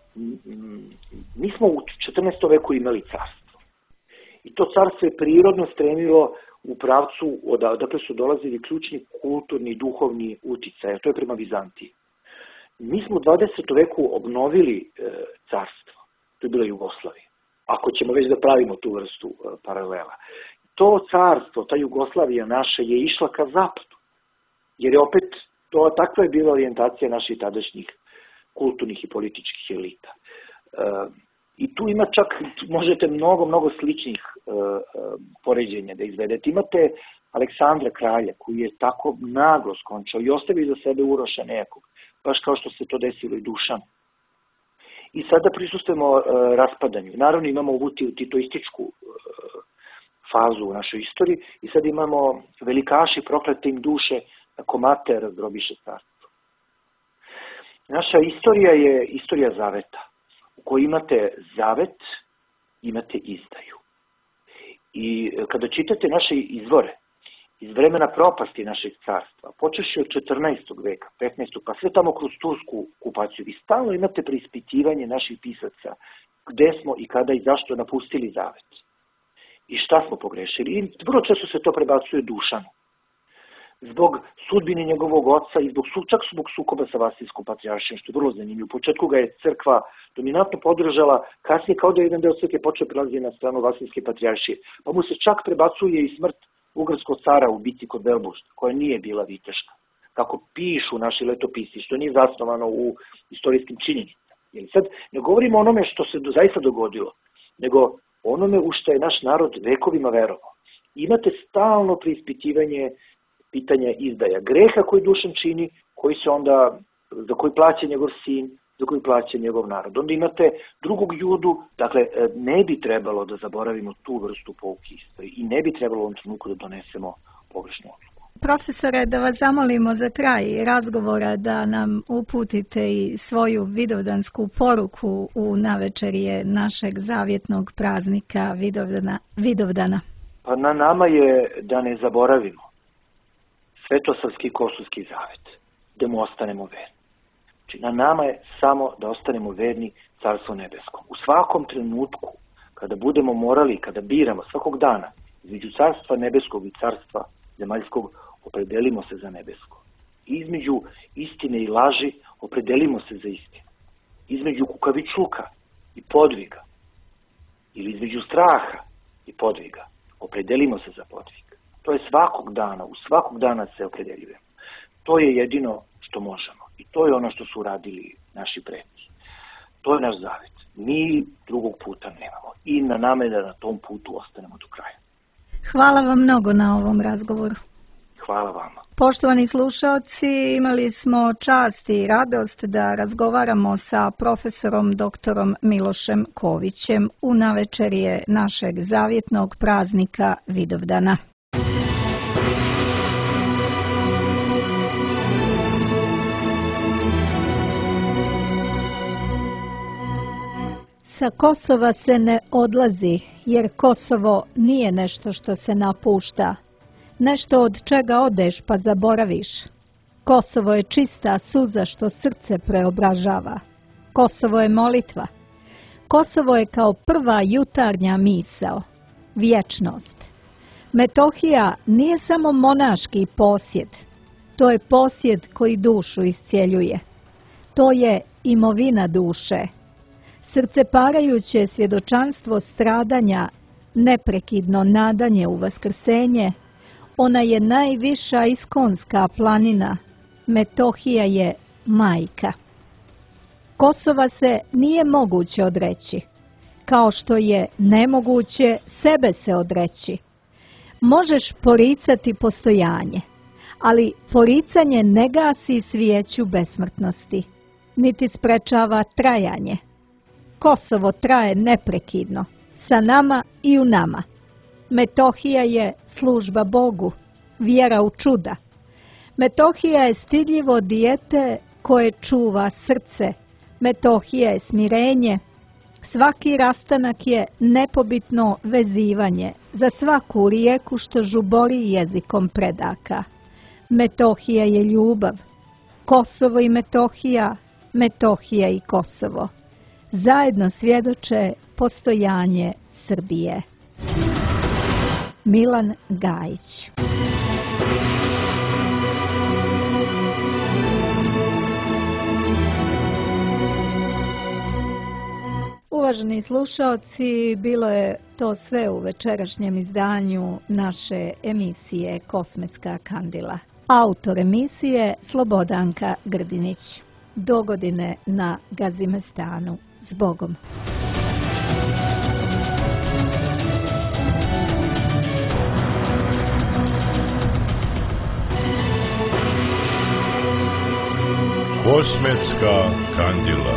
Speaker 3: mi smo u četrnaestom veku imali carstvo. I to carstvo je prirodno stremilo u pravcu odakle su dolazili ključni kulturni i duhovni uticaj, a to je prema Vizantiji. Mi smo u dvadesetom veku obnovili e, carstvo. To je bila Jugoslavija. Ako ćemo već da pravimo tu vrstu uh, paralela. To carstvo, ta Jugoslavija naša je išla ka zapadu, jer je opet, to, takva je bila orijentacija naših tadašnjih kulturnih i političkih elita. Uh, I tu ima čak, možete mnogo, mnogo sličnih uh, uh, poređenja da izvedete. Imate Aleksandra kralja, koji je tako naglo skončao i ostavio za sebe Uroša nekog, baš kao što se to desilo i Dušanu. I sada prisustujemo uh, raspadanju. Naravno imamo ovu titoističku uh, fazu u našoj istoriji i sad imamo velikaši proklete im duše ako mate razdrobiše carstvo. Naša istorija je istorija zaveta u kojoj imate zavet, imate izdaju. I kada čitate naše izvore iz vremena propasti našeg carstva, počeši od četrnaestog veka, petnaestog pa sve tamo kroz tursku okupaciju, vi stalno imate preispitivanje naših pisaca gde smo i kada i zašto napustili zavet. I šta smo pogrešili. I vrlo često se to prebacuje Dušanu. Zbog sudbine njegovog oca i zbog, čak zbog sukoba sa Vasiljskom patrijaršijom, što je vrlo zanimljivo. U početku ga je crkva dominantno podržala, kasnije kao da je jedan deo crkve počeo prelaziti na stranu Vasiljske patrijaršije. Pa mu se čak prebacuje i smrt ugarskog cara u bici kod Velbušta, koja nije bila viteška. Kako pišu naši letopisi, što nije zasnovano u istorijskim činjenicama. Jer sad ne govorimo o onome što se do, zaista dogodilo, nego onome u što je naš narod vekovima verovao. Imate stalno preispitivanje pitanja izdaja greha koji Dušan čini, koji se onda, za koji plaća njegov sin, za koji plaća njegov narod. Onda imate drugog Judu, dakle ne bi trebalo da zaboravimo tu vrstu pouke istorije i ne bi trebalo u ovom trenutku da donesemo pogrešnu odluku.
Speaker 4: Profesore, da vas zamolimo za kraj razgovora da nam uputite i svoju vidovdansku poruku u navečerje našeg zavjetnog praznika Vidovdana. Vidovdana.
Speaker 3: Pa na nama je da ne zaboravimo Svetosavski kosovski zavet, da mu ostanemo verni. Znači, na nama je samo da ostanemo verni Carstvu nebeskom. U svakom trenutku, kada budemo morali, kada biramo svakog dana između Carstva nebeskog i Carstva zemaljskog, opredelimo se za nebesko. Između istine i laži opredelimo se za istinu. Između kukavičluka i podviga, ili između straha i podviga, opredelimo se za podvig. To je svakog dana, u svakog dana se opredeljujemo. To je jedino što možemo. I to je ono što su uradili naši preci. To je naš zavet. Mi drugog puta nemamo. I na nama je da na tom putu ostanemo do kraja.
Speaker 4: Hvala vam mnogo na ovom razgovoru.
Speaker 3: Hvala vama.
Speaker 4: Poštovani slušaoci, imali smo čast i radost da razgovaramo sa profesorom doktorom Milošem Kovićem u navečerje našeg zavjetnog praznika Vidovdana. Sa Kosova se ne odlazi, jer Kosovo nije nešto što se napušta. Nešto od čega odeš pa zaboraviš. Kosovo je čista suza što srce preobražava. Kosovo je molitva. Kosovo je kao prva jutarnja misao. Vječnost. Metohija nije samo monaški posjed. To je posjed koji dušu iscjeljuje. To je imovina duše. Srceparajuće svjedočanstvo stradanja, neprekidno nadanje u vaskrsenje, ona je najviša iskonska planina, Metohija je majka. Kosova se nije moguće odreći, kao što je nemoguće sebe se odreći. Možeš poricati postojanje, ali poricanje ne gasi svijeću besmrtnosti, niti sprečava trajanje. Kosovo traje neprekidno, sa nama i u nama. Metohija je služba Bogu, vjera u čuda. Metohija je stidljivo dijete koje čuva srce. Metohija je smirenje. Svaki rastanak je nepobitno vezivanje za svaku rijeku što žubori jezikom predaka. Metohija je ljubav. Kosovo i Metohija, Metohija i Kosovo. Zajedno svjedoče postojanje Srbije. Milan Gajić. Uvaženi slušaoci, bilo je to sve u večerašnjem izdanju naše emisije Kosmetska kandila. Autor emisije Slobodanka Grdinić. Dogodine na Gazimestanu. S Bogom.
Speaker 1: Kosmetska kandila.